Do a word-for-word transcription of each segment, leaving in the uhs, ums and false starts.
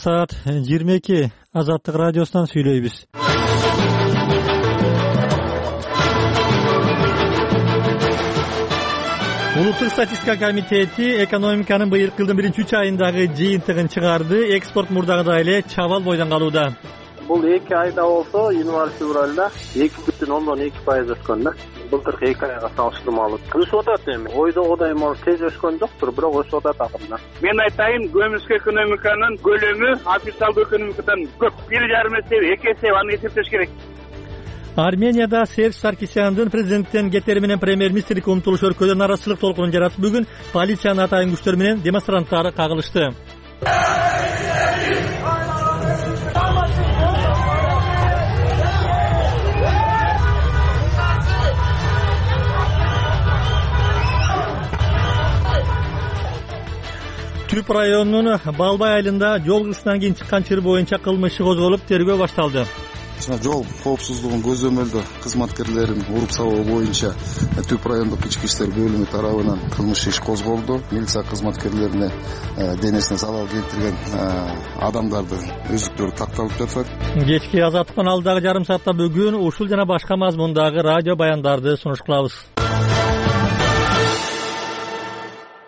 саат жыйырма эки Азаттык радиосунан сүйлөйбүз. Улуттук статистика комитети экономиканын быйылкы жылдын биринчи үч айындагы жыйынтыгын чыгарды. Экспорт мурдагыдай эле чабал бойдон калууда. Бул эки айда болсо, январь-февралда эки бүтүн ондон эки пайыз өскөн да. Былтыркы эки айга салыштырмалуу өсүп атат эми. Ойдогудай может тез өскөн жоктур, бирок өсүп атат акырында. Мен айтайын, көмүскө экономиканын көлөмү официалдуу экономикадан көп. бир жарым эсе, эки эсе аны эсептеш керек. Арменияда Серж Саркисяндын президенттен кетери менен премьер-министрликке умтулуш өлкөдө наразычылык толкунун жаратып, бүгүн полициянын атайын күчтөр менен демонстранттар кагылышты. Түп районунун Балбай айылында жол кырсынан кийин чыккан чыр боюнча кылмыш иши козголуп, тергөө башталды. Жол коопсуздугун көзөмөлдөө кызматкерлерин уруп сабоо боюнча Түп райондук ички иштер бөлүмү тарабынан кылмыш иш козголду. Милиция кызматкерлерине денесине залал келтирген адамдарды өздүктөрү такталып жатат. Кечки Азаттыктын алдагы жарым саатта бүгүн ушул жана башка мазмундагы радио баяндарды сунуш кылабыз.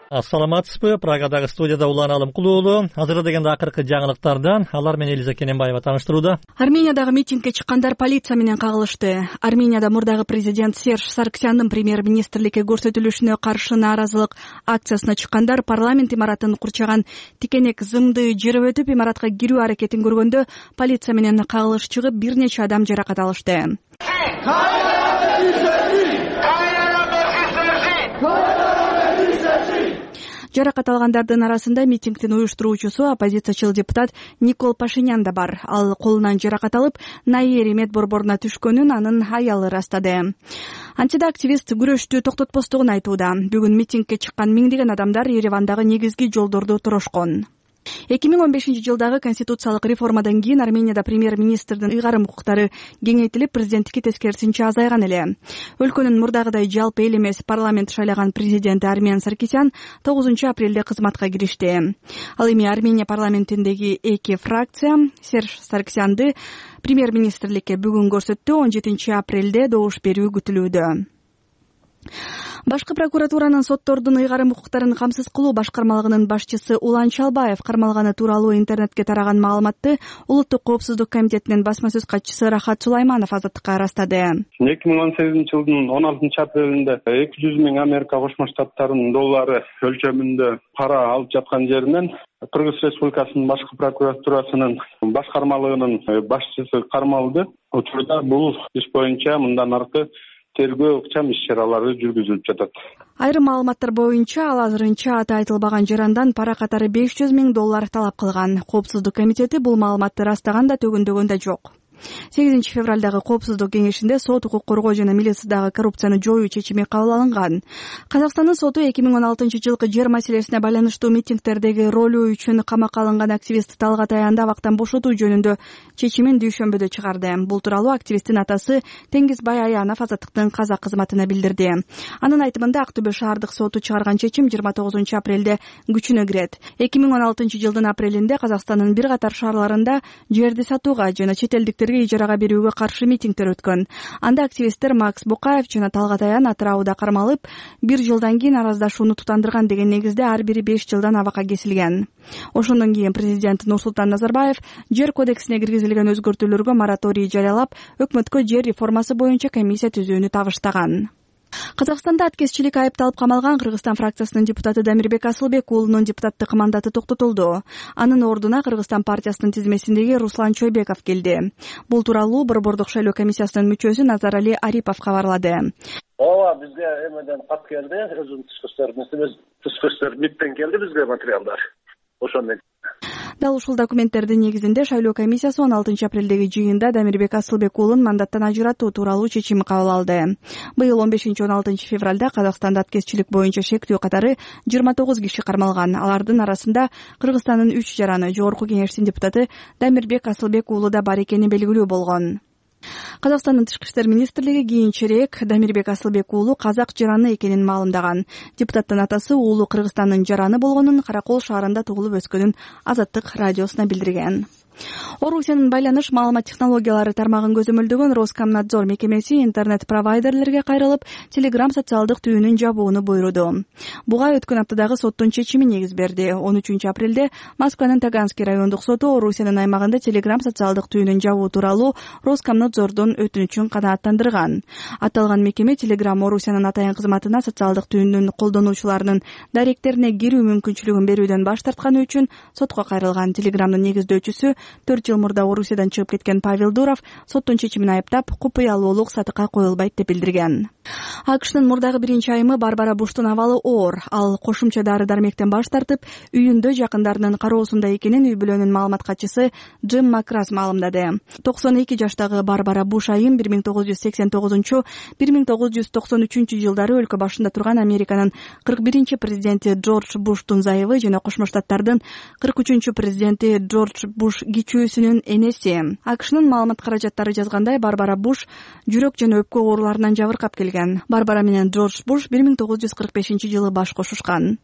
Ассаламатсызбы? Прагадагы студияда Улан Алымкулуу уулу. Азыр дегенде акыркы жаңылыктардан алар менен Элиза Кененбаева тааныштырууда. Армениядагы митингге чыккандар полиция менен кагылышты. Арменияда мурдагы президент Серж Саркисяндын премьер-министрликке көрсөтүлүшүнө каршы нааразылык акциясына чыккандар парламент имаратын курчаган тикенек зымды жырып өтүп, имаратка кирүү аракетин көргөндө полиция менен кагылыш чыгып, бир нече адам жаракат алышты. Жаракат алгандардын арасында митингдин уюштуруучусу оппозициячыл депутат Никол Пашинян да бар. Ал колунан жаракат алып, Найери медборборуна түшкөнүн анын аялы ырастады. Антида активист күрөштү токтотпостугун айтууда. Бүгүн митингге чыккан миңдеген адамдар Еревандагы негизги жолдорду турошкон. эки миң он бешинчи жылдагы конституциялык реформадан кийин Арменияда премьер-министрдин ыйгарым укуктары кеңейтилип, президенттикке тескерисинче азайган эле. Өлкөнүн мурдагыдай жалпы эл эмес парламент шайлаган президенти Армен Саркисян тогузунчу апрелде кызматка киришти. Ал эми Армения парламентиндеги эки фракция Серж Саркисянды премьер-министрликке бүгүн көрсөттү. он жетинчи апрелде добуш берүү күтүлүүдө. Башкы прокуратуранын соттордун ыйгарым укуктарын камсыз кылуу башкармалыгынын башчысы Улан Чалбаев кармалганы тууралуу интернетке тараган маалыматты Улуттук коопсуздук комитетинин басма сөз катчысы Рахат Сулайманов Азаттыкка ырастады. эки миң он сегизинчи жылдын он алтынчы апрелинде эки жүз миң Америка Кошмо Штаттарынын доллары өлчөмүндө пара алып жаткан жеринен Кыргыз Республикасынын башкы прокуратурасынын башкармалыгынын башчысы кармалды. Учурда бул иш боюнча мындан аркы тергөө ыкчам иш-чаралары жүргүзүлүп жатат. Айрым маалыматтар боюнча ал азырынча аты айтылбаган жарандан пара катары беш жүз миң доллар талап кылган. Коопсуздук комитети бул маалыматты ырастаган да төгөндөгөн да жок. сегизинчи февралдагы коопсуздук кеңешинде сот, укук коргоо жана милициядагы коррупцияны жоюу чечими кабыл алынган. Казакстандын соту эки миң он алтынчы жылкы жер маселесине байланыштуу митингдердеги ролу үчүн камакка алынган активист Талгат Аянды абактан бошотуу жөнүндө чечимин дүйшөмбөдө чыгарды. Бул тууралуу активисттин атасы Теңизбай Аянов Азаттыктын казак кызматына билдирди. Анын айтымында Актөбө шаардык соту чыгарган чечим жыйырма тогузунчу апрелде күчүнө кирет. эки миң он алтынчы жылдын апрелинде Казакстандын бир катар шаарларында жерди сатууга жана чет элдиктерге ижарага берүүгө каршы митингдер өткөн. Анда активисттер Макс Букаев жана Талгат Аян атырауда кармалып, бир жылдан кийин араздашууну тутандырган деген негизде ар бири беш жылдан абакка кесилген. Ошондон кийин президент Нурсултан Назарбаев жер кодексине киргизилген өзгөртүүлөргө мораторий жарыялап, өкмөткө жер реформасы боюнча комиссия түзүүнү табыштаган. Казакстанда аткезчилик айыпталып камалган Кыргызстан фракциясынын депутаты Дамирбек Асылбек уулунун депутаттык мандаты токтотулду. Анын ордуна Кыргызстан партиясынын тизмесиндеги Руслан Чойбеков келди. Бул тууралуу Борбордук шайлоо комиссиясынын мүчөсү Назарали Арипов кабарлады. Ооба, бизге эмеден кат келди, өзүнүн тышкы иштер министрлиги тышкы иштер миттен келди бизге материалдар. Ошондой. Дал ушул документтердин негизинде шайлоо комиссиясы он алтынчы апрелдеги жыйында Дамирбек Асылбек уулун мандаттан ажыратуу тууралуу чечим кабыл алды. Быйыл он бешинчи он алтынчы февралда Казакстанда аткезчилик боюнча шектүү катары жыйырма тогуз киши кармалган. Алардын арасында Кыргызстандын үч жараны, жогорку кеңештин депутаты Дамирбек Асылбек уулу да бар экени белгилүү болгон. Казакстандын Тышкы иштер министрлиги кийинчерээк Дамирбек Асылбек уулу казак жараны экенин маалымдаган. Депутаттын атасы уулу Кыргызстандын жараны болгонун, Каракол шаарында туулуп өскөнүн Азаттык радиосуна билдирген. Орусиянын байланыш маалымат технологиялары тармагын көзөмөлдөгөн Роскомнадзор мекемеси интернет-провайдерлерге кайрылып, Telegram социалдык түйүнүн жабууну буйруду. Буга өткөн аптадагы соттун чечими негиз берди. он үчүнчү апрелде Москванын Таганский райондук соту Орусиянын аймагында Telegram социалдык түйүнүн жабуу тууралуу Роскомнадзордун өтүнүчүн канааттандырган. Аталган мекеме Telegram Орусиянын атайын кызматына социалдык түйүнүн колдонуучуларынын даректерине кирүү мүмкүнчүлүгүн берүүдөн баш тартканы үчүн сотко кайрылган. Telegramдын негиздөөчүсү төрт жыл мурда Орусиядан чыгып кеткен Павел Дуров соттун чечимин айыптап, купуялуулук сатыкка коюлбайт деп билдирген. АКШнын мурдагы биринчи айымы Барбара Буштун абалы оор. Ал кошумча дары-дармектен баш тартып, үйүндө жакындарынын кароосунда экенин үй бүлөнүн маалымат катчысы Джим Макрас маалымдады. токсон эки жаштагы Барбара Буш айым бир миң тогуз жүз сексен тогузунчу — бир миң тогуз жүз токсон үчүнчү жылдары өлкө башында турган Американын кырк биринчи президенти Джордж Буштун зайыбы жана Кошмо Штаттардын кырк үчүнчү президенти Джордж Буш кичүүсүнүн энеси. АКШнын маалымат каражаттары жазгандай, Барбара Буш жүрөк жана өпкө ооруларынан жабыркап келген. Барбара менен Джордж Буш бир миң тогуз жүз кырк бешинчи жылы баш кошушкан.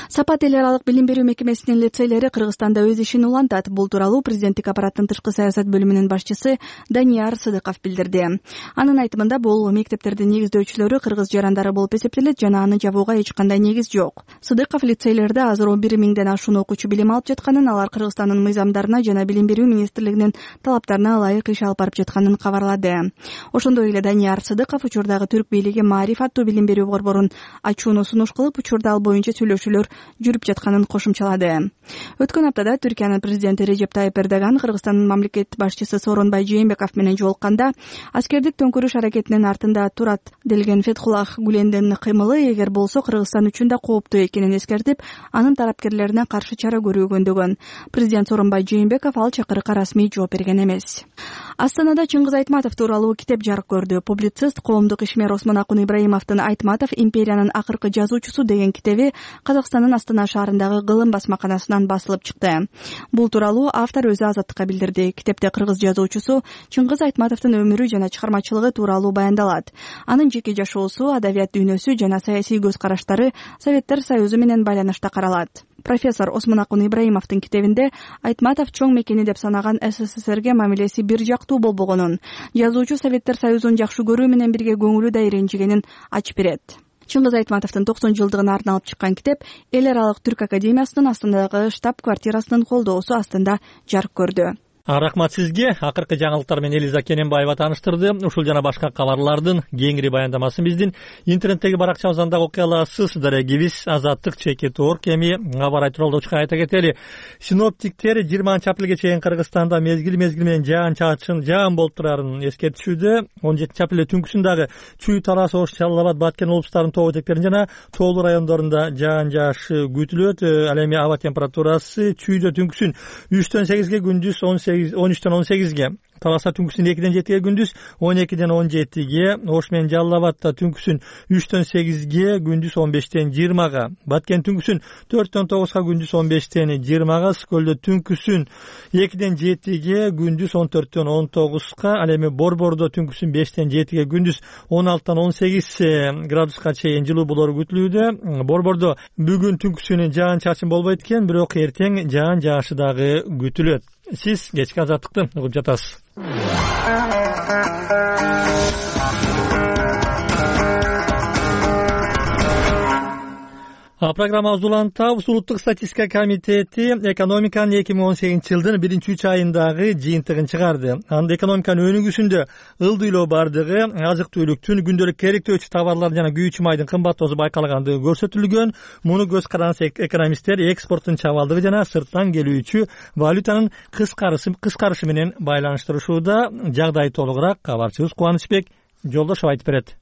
Сапат эл аралык билим берүү мекемесинин лицейлери Кыргызстанда өз ишин улантат. Бул тууралуу президенттик аппараттын тышкы саясат бөлүмүнүн башчысы Данияр Сыдыков билдирди. Анын айтымында, бул мектептердин негиздөөчүлөрү кыргыз жарандары болуп эсептелет жана аны жабууга эч кандай негиз жок. Сыдыков лицейлерде азыр он бир миңден ашуун окуучу билим алып жатканын, алар Кыргызстандын мыйзамдарына жана билим берүү министрлигинин талаптарына ылайык иш алып барып жатканын кабарлады. Ошондой эле Данияр Сыдыков учурдагы түрк бийлиги Маариф аттуу билим берүү борборун ачууну сунуш кылып, учурда ал боюнча сүйлөшүүлөр жүрүп жатканын кошумчалады. Өткөн аптада Түркиянын президенти Режеп Тайып Эрдоган Кыргызстандын мамлекет башчысы Сооронбай Жээнбеков менен жолукканда, аскердик төңкүрүш аракетинин артында турат делген Фетхуллах Гулендин кыймылы эгер болсо Кыргызстан үчүн да кооптуу экенин эскертип, анын тарапкерлерине каршы чара көрүү көндөгөн. Президент Сооронбай Жээнбеков ал чакырыкка расмий жооп берген эмес. Астанада Чыңгыз Айтматов тууралуу китеп жарык көрдү. Публицист, коомдук ишмер Осмонакун Ибраимовдун «Айтматов — империянын акыркы жазуучусу» деген китеби Казакстандын Астана шаарындагы Кылым басмаканасынан басылып чыкты. Бул тууралуу автор өзү Азаттыкка билдирди. Китепте кыргыз жазуучусу Чыңгыз Айтматовдун өмүрү жана чыгармачылыгы тууралуу баяндалат. Анын жеке жашоосу, адабият дүйнөсү жана саясий көз караштары Советтер Союзу менен байланышта каралат. Профессор Осмонакун Ибраимовдун китебинде Айтматов чоң мекени деп санаган СССРге мамилеси бир жактуу болбогонун, жазуучу Советтер Союзун жакшы көрүү менен бирге көңүлү да иренжигенин ачып берет. Чыңгыз Айтматовдун токсон жылдыгына арналып чыккан китеп Эл аралык түрк академиясынын Астанадагы штаб-квартирасынын колдоосу астында жарык көрдү. Рахмат сизге. Акыркы жаңылыктар менен Элиза Кененбаева тааныштырды. Ушул жана башка кабарлардын кеңири баяндамасын биздин интернеттеги баракчабыздан да окуй аласыз. Дарегибиз Азаттык чекит орг. Эми кабар айтуулоочуга айта кетели. Синоптиктер жыйырманчы апрелге чейин Кыргызстанда мезгил мезгил менен жаан-чачын жаан болуп турарын эскертишүүдө. он жетинчи апрелде түнкүсүн дагы Чүй, Тарас, Ош, Жалал Абад, Баткен облустарынын тоо этектерин жана тоолуу райондорунда жаан жаашы күтүлөт. Ал эми аба температурасы Чүйдө түнкүсүн үчтөн сегизге, күндүз он үчтөн он сегизге, Таласта түнкүсүн экиден жетиге, күндүз он экиден он жетиге, Ош менен Жалал Абадта түнкүсүн үчтөн сегизге, күндүз он бештен жыйырмага, Баткен түнкүсүн төрттөн тогузга, күндүз он бештен жыйырмага, Скөлдө түнкүсүн экиден жетиге, күндүз он төрттөн он тогузга, ал эми Борбордо түнкүсүн бештен жетиге, күндүз он алтыдан он сегиз градуска чейин жылуу болору күтүлүүдө. Борбордо бүгүн түнкүсүн жаан чачын болбойт экен, бирок эртең жаан жаашы дагы күтүлөт. Сиз кечки Азаттыкты угуп жатасыз. Программабызды улантабыз. Улуттук статистика комитети экономиканын эки миң он сегизинчи жылдын биринчи үч айындагы жыйынтыгын чыгарды. Анда экономиканын өнүгүүсүндө ылдыйлоо бардыгы, азык түлүктүн, күндөлүк керектөөчү товарлар жана күйүүчү майдын кымбаттоосу байкалгандыгы көрсөтүлгөн. Муну көз каранса экономисттер экспорттун чабалдыгы жана сырттан келүүчү валютанын кыскарышы кыскарышы менен байланыштырышууда. Жагдай толугураак кабарчыбыз Кубанычбек Жолдошов айтып берет.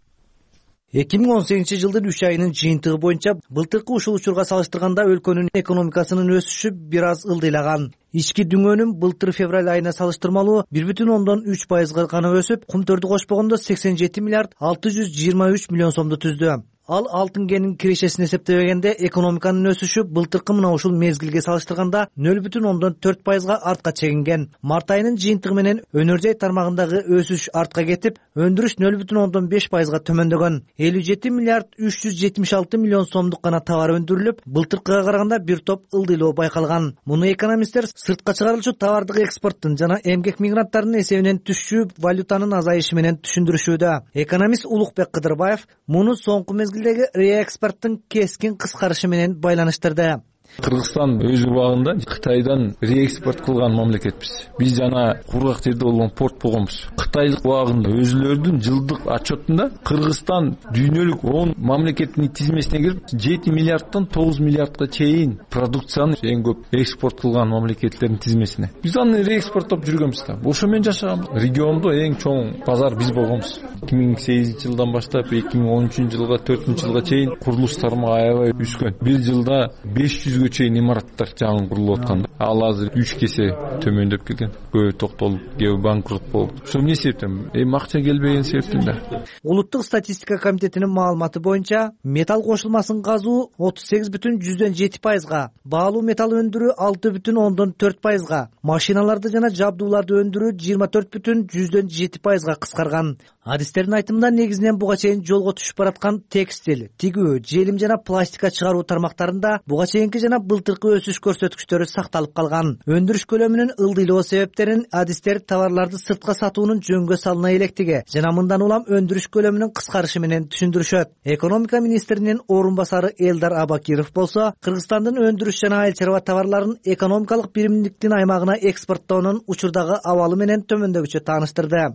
эки миң он сегизинчи жылдын үч айынын жыйынтыгы боюнча былтыркы ушул учурга салыштырганда өлкөнүн экономикасынын өсүшү бир аз ылдыйлаган. Ички дүңөнүн былтыр февраль айына салыштырмалуу бир бүтүн ондон үч пайызга гана өсүп, кумтөрдү кошпогондо сексен жети миллиард алты жүз жыйырма үч миллион сомду түздү. ал алтын кенинин кирешесин эсептебегенде экономиканын өсүшү былтыркы мына ушул мезгилге салыштырганда нөл бүтүн ондон төрт пайызга артка чегинген. Март айынын жыйынтыгы менен өнөр жай тармагындагы өсүш артка кетип, өндүрүш нөл бүтүн ондон беш пайызга төмөндөгөн. элүү жети миллиард үч жүз жетимиш алты миллион сомдук гана товар өндүрүлүп, былтыркыга караганда бир топ ылдыйлоо байкалган. Муну экономисттер сыртка чыгарылчу товардык экспорттун жана эмгек мигранттарынын эсебинен түшчү валютанын азайышы менен түшүндүрүшүүдө. Экономист Улукбек Кыдырбаев муну соңку мезгилдеги реэкспорттун кескин кыскарышы менен байланыштырды. Кыргызстан өз убагында Кытайдан реэкспорт кылган мамлекетпиз. Биз жана кургак жерде болгон порт болгонбуз. Кытайлык убагында өзүлөрүнүн жылдык отчетунда Кыргызстан дүйнөлүк он мамлекеттин тизмесине кирип, жети миллиарддан тогуз миллиардга чейин продукцияны эң көп экспорт кылган мамлекеттердин тизмесине. Биз аны реэкспорттоп жүргөнбүз да. Ошо менен жашаганбыз. Региондо эң чоң базар биз болгонбуз. эки миң сегизинчи жылдан баштап эки миң он үчүнчү жылга төртүнчү жылга чейин курулуш тармагы аябай өскөн. Бир жылда беш жүзгө чейин имараттар жаңы курулуп аткан. Ал азыр үч кесе төмөндөп келген. Көбү токтолуп, кээ банкрот болуп. Ошол эмне себептен? Эми акча келбеген себептен да. Улуттук статистика комитетинин маалыматы боюнча, металл кошулмасын казуу отуз сегиз бүтүн жүздөн жети пайызга, баалуу металл өндүрүү алты бүтүн ондон төрт пайызга, машиналарды жана жабдууларды өндүрүү жыйырма төрт бүтүн жүздөн жети пайызга кыскарган. Адистердин айтымында негизинен буга чейин жолго түшүп бараткан текстиль, тигүү, желим жана пластика чыгаруу тармактарында буга чейинки жана былтыркы өсүш көрсөткүчтөрү сакталып калган. Өндүрүш көлөмүнүн ылдыйлоо себептерин адистер товарларды сыртка сатуунун жөнгө салына электиги жана мындан улам өндүрүш көлөмүнүн кыскарышы менен түшүндүрүшөт. Экономика министринин орун басары Элдар Абакиров болсо, Кыргызстандын өндүрүш жана айыл чарба товарларын экономикалык биримдиктин аймагына экспорттоонун учурдагы абалы менен төмөндөгүчө тааныштырды.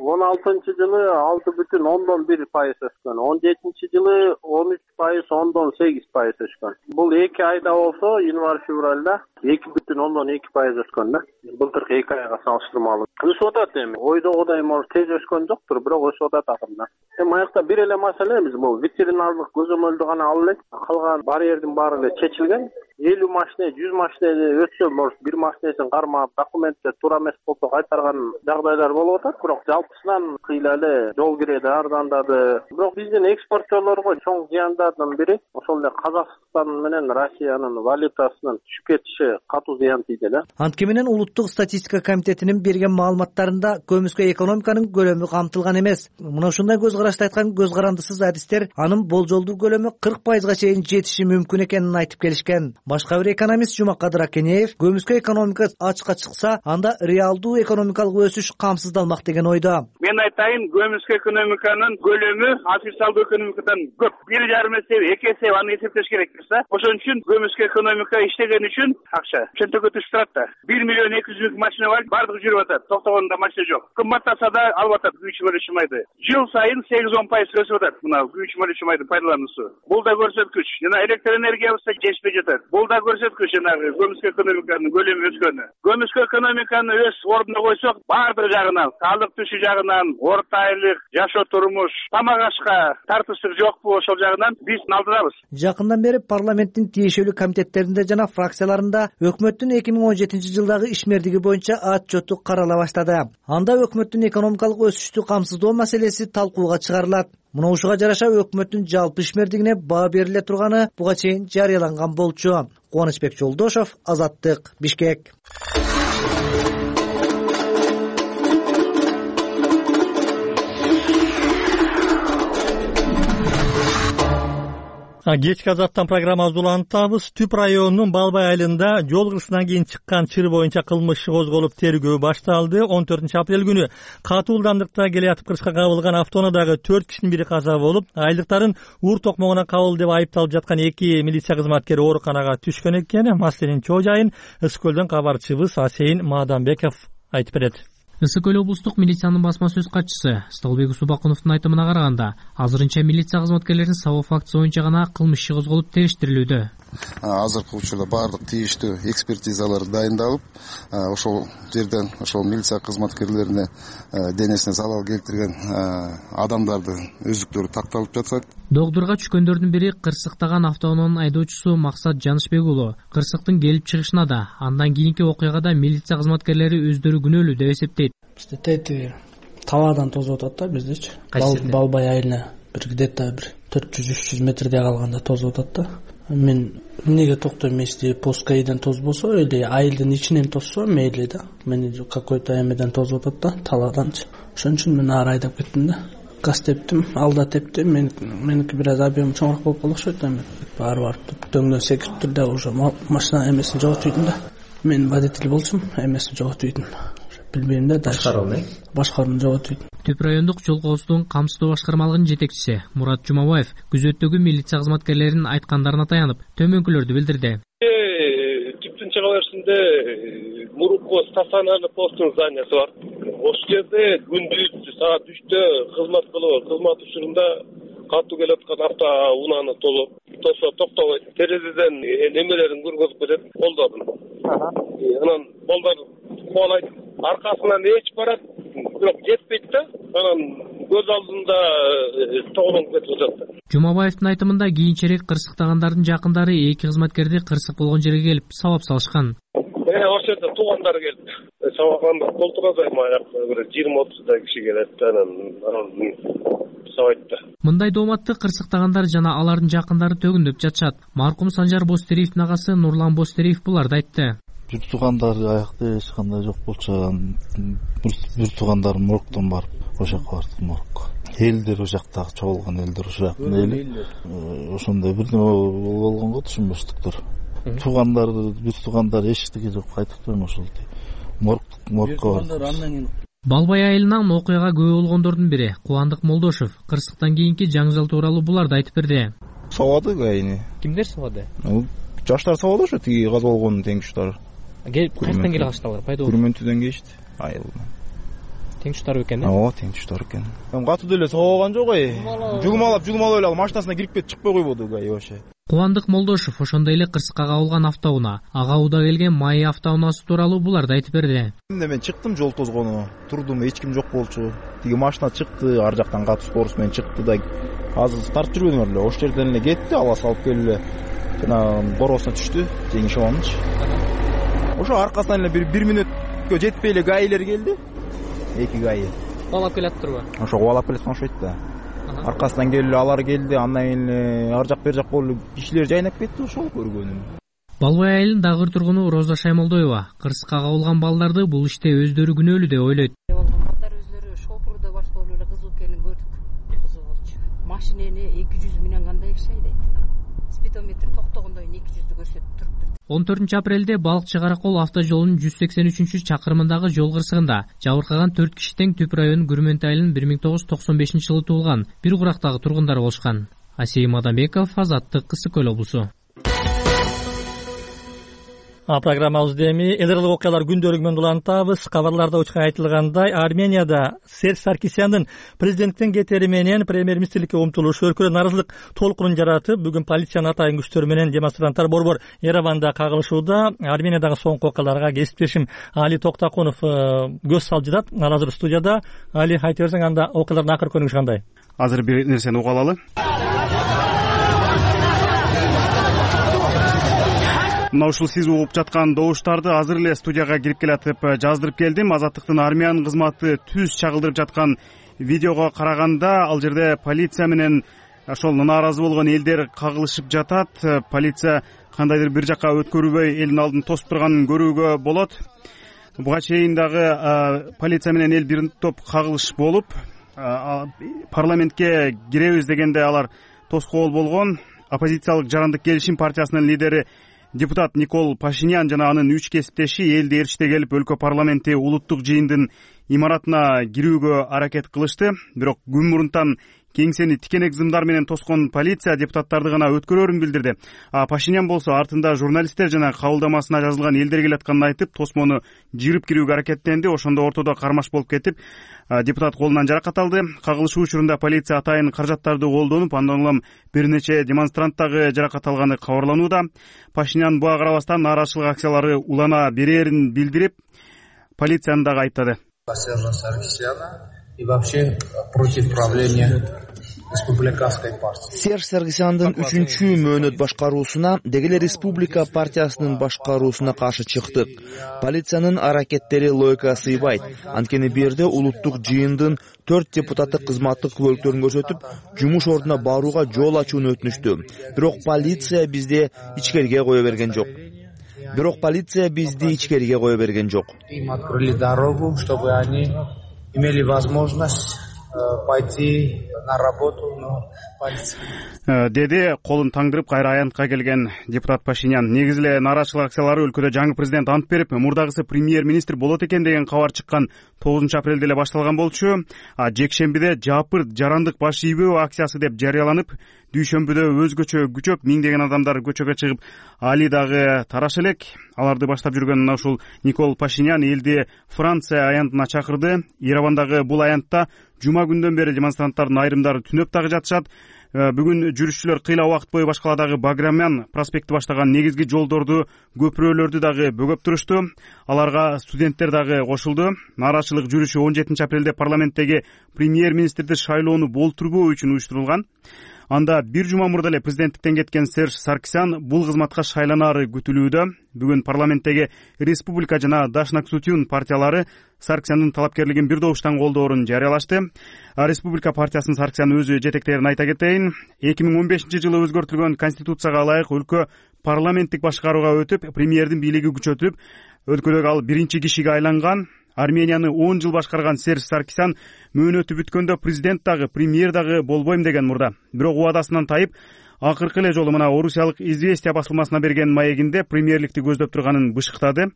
он алтынчы жылы алты бүтүн ондон бир пайыз өскөн, он жетинчи жылы он үч пайыз ондон сегиз пайыз өскөн. Бул эки айда болсо, январь февралда эки бүтүн ондон эки пайыз өскөн да. Былтыркы эки айга салыштырмалуу. Өсүп атат эми. Ойдогудай может тез өскөн жоктур, бирок өсүп атат акырында. Эми аякта бир эле маселебиз бул ветеринардык көзөмөлдү гана алып элек. Калган барьердин баары эле чечилген. элүү машина, жүз машина өтсө, может бир машинесин кармап, документтер туура эмес болсо кайтарган жагдайлар болуп атат, бирок жалпысынан кыйла эле жол киреди, арзандады. Бирок биздин экспортчолорго чоң зыяндардын бири ошол эле Казакстан менен Россиянын валютасынын түшүп кетиши катуу зыян тийди эле. Антке менен Улуттук статистика комитетинин берген маалыматтарында көмүскө экономиканын көлөмү камтылган эмес. Мына ушундай көз карашты айткан көз карандысыз адистер анын болжолдуу көлөмү кырк пайызга чейин жетиши мүмкүн экенин айтып келишкен. Башка бир экономист Жумакадыр Акенеев көмүскө экономика ачыкка чыкса, анда реалдуу экономикалык өсүш камсыздалмак деген ойдо. Мен айтайын, көмүскө экономиканын көлөмү официалдуу экономикадан көп. бир жарым эсе, эки эсе аны эсептеш керек болса, ошон үчүн көмүскө экономика иштеген үчүн акча чөнтөккө түшүп турат да. бир миллион эки жүз миң машина бар, бардыгы жүрүп атат. Токтогондо машина жок. Кымбаттаса да алып атат күйүүчү мөлөчү майды. Жыл сайын сегиз он пайыз өсүп атат мына күйүүчү мөлөчү майдын пайдалануусу. Бул да көрсөткүч. Жана электр энергиябызда жетишпей жатат. Бул да көрсөткүч, жанагы көмүскө экономиканын көлөмү өскөнү. Көмүскө экономиканы өз ордуна койсок, бардык жагынан, салык түшү жагынан, орто айлык, жашоо турмуш, тамак ашка тартыштык жокпу, ошол жагынан биз алдыдабыз. Жакындан бери парламенттин тиешелүү комитеттеринде жана фракцияларында өкмөттүн эки миң он жетинчи жылдагы ишмердиги боюнча отчету карала баштады. Анда өкмөттүн экономикалык өсүштү камсыздоо маселеси талкууга чыгарылат. Мына ушуга жараша өкмөттүн жалпы ишмердигине баа бериле турганы буга чейин жарыяланган болчу. Кубанычбек Жолдошов, Азаттык, Бишкек. Кечки Азаттан программабызды улантабыз. Түп районунун Балбай айылында жол кырсынан кийин чыккан чыр боюнча кылмыш иши козголуп тергөө башталды. он төртүнчү апрель күнү катуу ылдамдыкта келе жатып кырсыкка кабылган автоунаадагы төрт кишинин бири каза болуп, айылдыктарын ур токмогуна кабыл деп айыпталып жаткан эки милиция кызматкери ооруканага түшкөн экен. Маселенин чоо жайын Ысык көлдөн кабарчыбыз Асейин Маданбеков айтып берет. Ысык көл облустук милициянын басма сөз катчысы Столбек Субакуновдун айтымына караганда, азырынча милиция кызматкерлеринин сабоо фактысы боюнча гана кылмыш иши козголуп териштирилүүдө. Азыркы учурда баардык тийиштүү экспертизалар дайындалып, ошол жерден ошол милиция кызматкерлерине денесине залал келтирген адамдардын өздүктөрү такталып жатат. Догдурга түшкөндөрдүн бири кырсыктаган автоунаанын айдоочусу Максат Жанышбек уулу. Кырсыктын келип чыгышына да, андан кийинки окуяга да милиция кызматкерлери өздөрү күнөөлүү деп эсептейт. Бизде тети табадан тозуп атат да биздечи. Балбай айылына бир где-то бир төрт жүз үч жүз метрдей калганда тозуп атат да. Мен эмнеге токтойм, если пускайдан тозбосо или айылдын ичинен тозсо мейли да. Мени какой-то эмеден тозуп атат да, талааданчы. Ошон үчүн мен ары айдап кеттим да. Газ тептим, алда тепти. Мен меники бир аз объем чоңураак болуп калды окшойт да. Мен баары барып дөңдөн секирип тур да, уже машина эмесин жоготуп ийдим да. Мен водитель болчумун, эмесин жоготуп ийдим. Билбейм да, башкарууну башкарууну жоготуп ийдим. Түп райондук жол коопсуздугун камсыздоо башкармалыгынын жетекчиси Мурат Жумабаев күзөттөгү милиция кызматкерлеринин айткандарына таянып төмөнкүлөрдү билдирди. Түптүн чыга беришинде мурунку стационарный посттун зданиясы бар. Ошол жерде күндүз саат үчтө кызмат кылып, кызмат учурунда катуу келип аткан автоунааны толуп, тосо токтобойт. Терезеден немелерин көргөзүп кетет, колдорун. Анан балдар кубалайт, аркасынан эч барат, бирок жетпейт да. Анан көз алдында тоголонуп кетип жатат. Жумабаевдин айтымында кийинчерээк кырсыктагандардын жакындары эки кызматкерди кырсык болгон жерге келип сабап салышкан. Э, ошол жерде туугандары келип сабаганда толтурат, аякта бир жыйырма отуздай киши келет, анан сабайт да. Мындай дооматты кырсыктагандар жана алардын жакындары төгүндөп жатышат. Маркум Санжар Бостериевдин агасы Нурлан Бостериев буларды айтты. Бир туугандар аякта эч кандай жок болчу, бир туугандар моргтон барып ошол жака барды, морг. Элдер ошол жактагы чогулган элдер ошол жактын эли. Ошондой бирдеме болгон го түшүнбөстүктөр. Туугандар, бир туугандар эчтеке жок, айтып ошол морг моргко барды. Балбай айылынан окуяга күбө болгондордун бири Кубандык Молдошев кырсыктан кийинки жаңжал тууралуу буларды айтып берди. Сабады гайни. Кимдер сабады? Жаштар сабады ошо тиги газ болгон теңкүчтөр. Келип кайдан келе калыштылар? Пайда болду. Күрмөнтүдөн келишти айылдан. Теңкүчтөр экен да? Ооба, теңкүчтөр экен. Катуу деле сабаган жок ай. Жугумалап, жугумалап эле машинасына кирип кетип чыкпай койбоду гай вообще. Кубандык Молдошев ошондой эле кырсыкка кабылган автоунаа, ага уда келген Майи автоунаасы тууралуу буларды айтып берди. Мен чыктым, жол тозгону, турдум, эч ким жок болчу. Тиги машина чыкты, ар жактан катуу скорость менен чыкты да, азыр тартып жүргөнүм эле, ошол жерден эле кетти, ала салып келип эле жана боросуна түштү, жеңиш шабанычы. Ошо аркасынан эле бир мүнөткө жетпей эле гаилер келди. Эки гаи. Кубалап келатырбы? Ошо кубалап келет окшойт да. Аркасынан келип алар келди, андан кийин ар жак бер жак болуп кишилер жайнап кетти, ошол көргөнүм. Балбай айылынын дагы тургуну Роза Шаймолдоева кырсыкка кабылган балдарды бул иште өздөрү күнөөлүү деп ойлойт. Балдар өздөрү шопурда баш болуп эле кызуу экенин көрдүк. Кызуу болчу. Машинени эки жүз менен кандай киши айдайт? Спидометр токтогондон кийин эки жүздү көрсөтүп туруптур. он төртүнчү апрелде Балыкчы Каракол автожолунун жүз сексен үчүнчү чакырымындагы жол кырсыгында жабыркаган төрт киши тең Түп районунун Күрмөнт айылынын бир миң тогуз жүз токсон бешинчи жылы туулган бир курактагы тургундар болушкан. Асейим Адамбеков, Азаттык, Кысык Көл облусу. А программабызды эми эл аралык окуялар күндөлүгү менен улантабыз. Кабарларда учка айтылгандай, Арменияда Серж Саркисяндын президенттен кетери менен премьер-министрликке умтулушу өлкөдө нааразылык толкунун жаратып, бүгүн полициянын атайын күчтөрү менен демонстранттар борбор Ереванда кагылышууда. Армениядагы соңку окуяларга кесиптешим Али Токтакунов көз салып жатат. Азыр студияда. Али, айта берсең, анда окуялардын акыркы көрүнүшү кандай? Азыр бир нерсени уга алалы. Мына ушул сиз угуп жаткан добуштарды азыр эле студияга кирип келатып жаздырып келдим. Азаттыктын армиянын кызматы түз чагылдырып жаткан видеого караганда ал жерде полиция менен ошол нааразы болгон элдер кагылышып жатат. Полиция кандайдыр бир жакка өткөрүлбөй элдин алдын тосуп турганын көрүүгө болот. Буга чейин дагы полиция менен эл бир топ кагылыш болуп, парламентке киребиз дегенде алар тоскоол болгон. Оппозициялык Жарандык келишим партиясынын лидери депутат Никол Пашинян жана анын үч кесиптеши элди ээрчите келип өлкө парламенти улуттук жыйындын имаратына кирүүгө аракет кылышты. Бирок күн мурунтан кеңсени тикенек зымдар менен тоскон полиция депутаттарды гана өткөрөрүн билдирди. А Пашинян болсо артында журналисттер жана кабылдамасына жазылган элдер келатканын айтып, тосмону жырып кирүүгө аракеттенди. Ошондо ортодо кармаш болуп кетип, депутат колунан жаракат алды. Кагылышуу учурунда полиция атайын каражаттарды колдонуп, андан улам бир нече демонстрант дагы жаракат алганы кабарланууда. Пашинян буга карабастан нааразычылык акциялары улана берерин билдирип, полицияны дагы айыптады. и вообще против правления республиканской партии. Серж Саргсяндын үчүнчү мөөнөт башкаруусуна деги эле Республика партиясынын башкаруусуна каршы чыктык. Полициянын аракеттери логикага сыйбайт. Анткени бул жерде улуттук жыйындын төрт депутаты кызматтык күбөлүктөрүн көрсөтүп, жумуш ордуна барууга жол ачууну өтүнүштү. Бирок полиция бизди ичкериге кое берген жок. Бирок полиция бизди ичкериге кое берген жок. Им открыли дорогу, чтобы они имели возможность пойти на работу, но полиция. Деди колун таңдырып кайра аянтка келген депутат Пашинян. Негизи эле нааразычылык акциялары өлкөдө жаңы президент ант берип, мурдагысы премьер-министр болот экен деген кабар чыккан тогузунчу апрелде эле башталган болчу. А жекшембиде жапырт жарандык баш ийбөө акциясы деп жарыяланып, дүйшөмбүдө өзгөчө күчөп миңдеген адамдар көчөгө чыгып, али дагы тараш элек. Аларды баштап жүргөн мына ушул Никол Пашинян элди Франция аянтына чакырды. Еревандагы бул аянтта жума күндөн бери демонстранттардын айрымдары түнөп дагы жатышат. Бүгүн жүрүшчүлөр кыйла убакыт бою башкаладагы Баграмян проспекти баштаган негизги жолдорду, көпүрөлөрдү дагы бөгөп турушту. Аларга студенттер дагы кошулду. Нааразычылык жүрүшү он жетинчи апрелде парламенттеги премьер-министрди шайлоону болтурбоо үчүн уюштурулган. Анда бир жума мурда эле президенттиктен кеткен Серж Саргсян бул кызматка шайланаары күтүлүүдө. Бүгүн парламенттеги Республика жана Дашнак Сутюн партиялары Саргсяндын талапкерлигин бир добуштан колдоорун жарыялашты. Республика партиясынын Саргсян өзү жетектерин айта кетейин. эки миң он бешинчи жылы өзгөртүлгөн конституцияга ылайык өлкө парламенттик башкарууга өтүп, премьердин бийлиги күчөтүлүп, өлкөдөгү ал биринчи кишиге айланган. Арменияны он жыл башкарган Серж Саргсян мөөнөтү бүткөндө президент дагы, премьер дагы болбойм деген мурда. Бирок убадасынан тайып, акыркы эле жолу мына орусиялык Известия басылмасына берген маегинде премьерликти көздөп турганын бышыктады.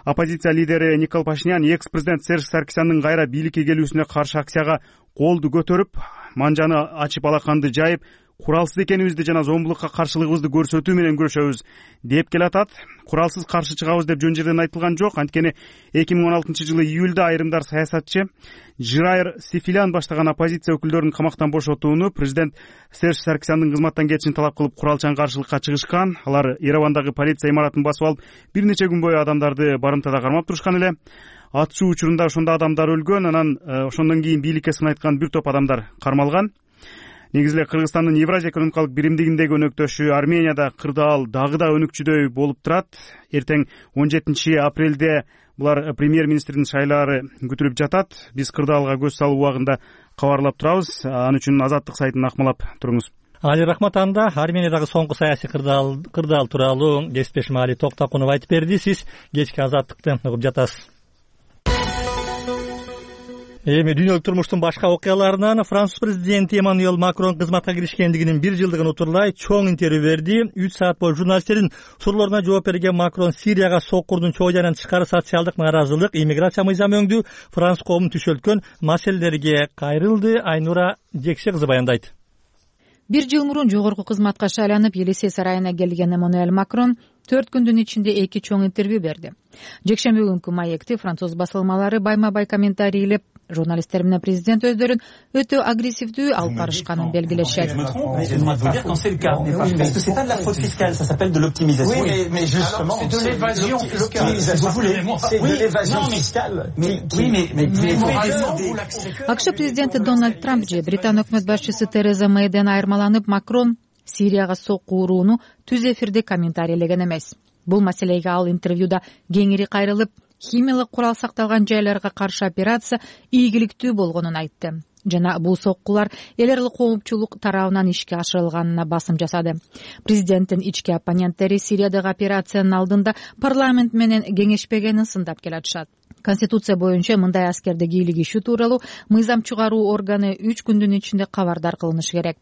Оппозиция лидери Никол Пашинян экс-президент Серж Саргсяндын кайра бийликке келүүсүнө каршы акцияга колду көтөрүп, манжаны ачып алаканды жайып, куралсыз экенибизди жана зомбулукка каршылыгыбызды көрсөтүү менен күрөшөбүз деп келатат. Куралсыз каршы чыгабыз деп жөн жерден айтылган жок. Анткени эки миң он алтынчы жылы июлда айрымдар саясатчы Жирайыр Сифилян баштаган оппозиция өкүлдөрүн камактан бошотууну, президент Серж Саргсяндын кызматтан кетишин талап кылып куралчан каршылыкка чыгышкан. Алар Еревандагы полиция имаратын басып алып, бир нече күн бою адамдарды барымтада кармап турушкан эле. Атышуу учурунда ошондо адамдар өлгөн, анан ошондон кийин бийликке сын айткан бир топ адамдар кармалган. Негизи эле Кыргызстандын Евразия экономикалык биримдигиндеги өнөктөшү Арменияда кырдаал дагы да өнүкчүдөй болуп турат. Эртең он жетинчи апрелде булар премьер-министрдин шайлаары күтүлүп жатат. Биз кырдаалга көз салуу убагында кабарлап турабыз. Ал үчүн Азаттык сайтын акмалап туруңуз. Али рахмат. Анда Армениядагы соңку саясий кырдаал кырдаал тууралуу кесиптешим Али Токтакунов айтып берди. Сиз кечки Азаттыкты угуп жатасыз. Эми дүйнөлүк турмуштун башка окуяларынан Француз президенти Эммануэль Макрон кызматка киришкендигинин бир жылдыгын утурлай чоң интервью берди. үч саат бою журналисттердин суроолоруна жооп берген Макрон Сирияга соккурдун чоо жайынан тышкары социалдык нааразылык, иммиграция мыйзамы өңдүү Франц коомун түшөлткөн маселелерге кайрылды. Айнура Жекше кызы баяндайт. Бир жыл мурун жогорку кызматка шайланып, Елисей сарайына келген Эммануэль Макрон төрт күндүн ичинде эки чоң интервью берди. Жекшемби күнкү маекти француз басылмалары байма-бай комментарийлеп, журналисттер менен президент өздөрүн өтө агрессивдүү алып барышканын белгилешет. АКШ президенти Дональд Трамп же Британ өкмөт башчысы Тереза Мэйден айырмаланып, Макрон Сирияга сокку урууну түз эфирде комментарийлеген эмес. Бул маселеге ал интервьюда кеңири кайрылып, химиялык курал сакталган жайларга каршы операция ийгиликтүү болгонун айтты. Жана бул соккулар эл аралык коопчулук тарабынан ишке ашырылганына басым жасады. Президенттин ички оппоненттери Сириядагы операциянын алдында парламент менен кеңешпегенин сындап келатышат. Конституция боюнча мындай аскерди кийлигишүү тууралуу мыйзам чыгаруу органы үч күндүн ичинде кабардар кылынышы керек.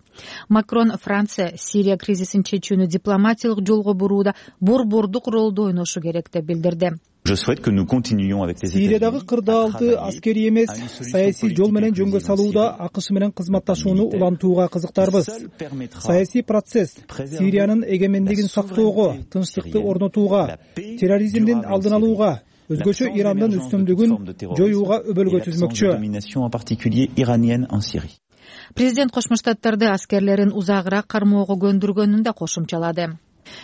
Макрон Франция Сирия кризисин чечүүнү дипломатиялык жолго бурууда борбордук ролду ойношу керек деп билдирди. Сириядагы кырдаалды аскерий эмес, саясий жол менен жөнгө салууда АКШ менен кызматташууну улантууга кызыктарбыз. Саясий процесс Сириянын эгемендигин сактоого, тынчтыкты орнотууга, терроризмдин алдын алууга, өзгөчө Ирандын үстүмдүгүн жоюуга өбөлгө түзмөкчү. Президент Кошмо Штаттарды аскерлерин узагыраак кармоого көндүргөнүн да кошумчалады.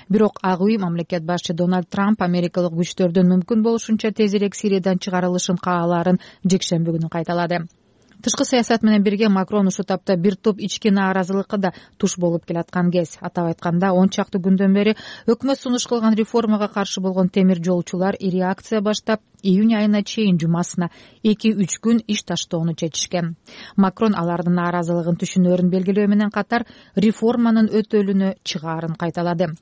Бирок ак үй мамлекет башчы Дональд Трамп америкалык күчтөрдүн мүмкүн болушунча тезирээк Сириядан чыгарылышын каалаарын жекшемби күнү кайталады. Тышкы саясат менен бирге Макрон ушул тапта бир топ ички нааразылыкка да туш болуп келаткан кез. Атап айтканда, он чакты күндөн бери өкмөт сунуш кылган реформага каршы болгон темир жолчулар ири акция баштап, июнь айына чейин жумасына эки үч күн иш таштоону чечишкен. Макрон алардын нааразылыгын түшүнөөрүн белгилөө менен катар реформанын өтөлүнө чыгаарын кайталады.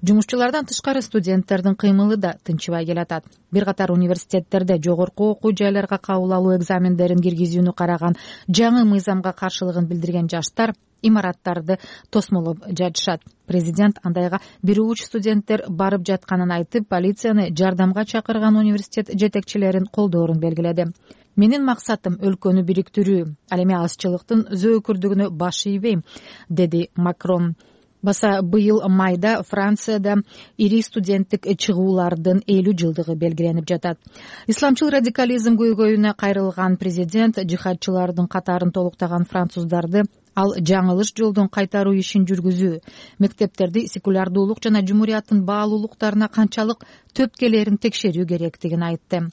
Жумушчулардан тышкары студенттердин кыймылы да тынчыбай келатат. Бир катар университеттерде жогорку окуу жайларга кабыл алуу экзамендерин киргизүүнү караган жаңы мыйзамга каршылыгын билдирген жаштар имараттарды тосмолоп жатышат. Президент андайга бир уч студенттер барып жатканын айтып, полицияны жардамга чакырган университет жетекчилерин колдоорун белгиледи. Менин максатым өлкөнү бириктирүү, ал эми азчылыктын зөөкүрдүгүнө баш ийбейм, деди Макрон. Баса быйыл майда Францияда ири студенттик чыгуулардын элүү жылдыгы белгиленип жатат. Исламчыл радикализм көйгөйүнө кайрылган президент жихадчылардын катарын толуктаган француздарды ал жаңылыш жолдон кайтаруу ишин жүргүзүү, мектептерди секулярдуулук жана жумурияттын баалуулуктарына канчалык төпкелерин текшерүү керектигин айтты.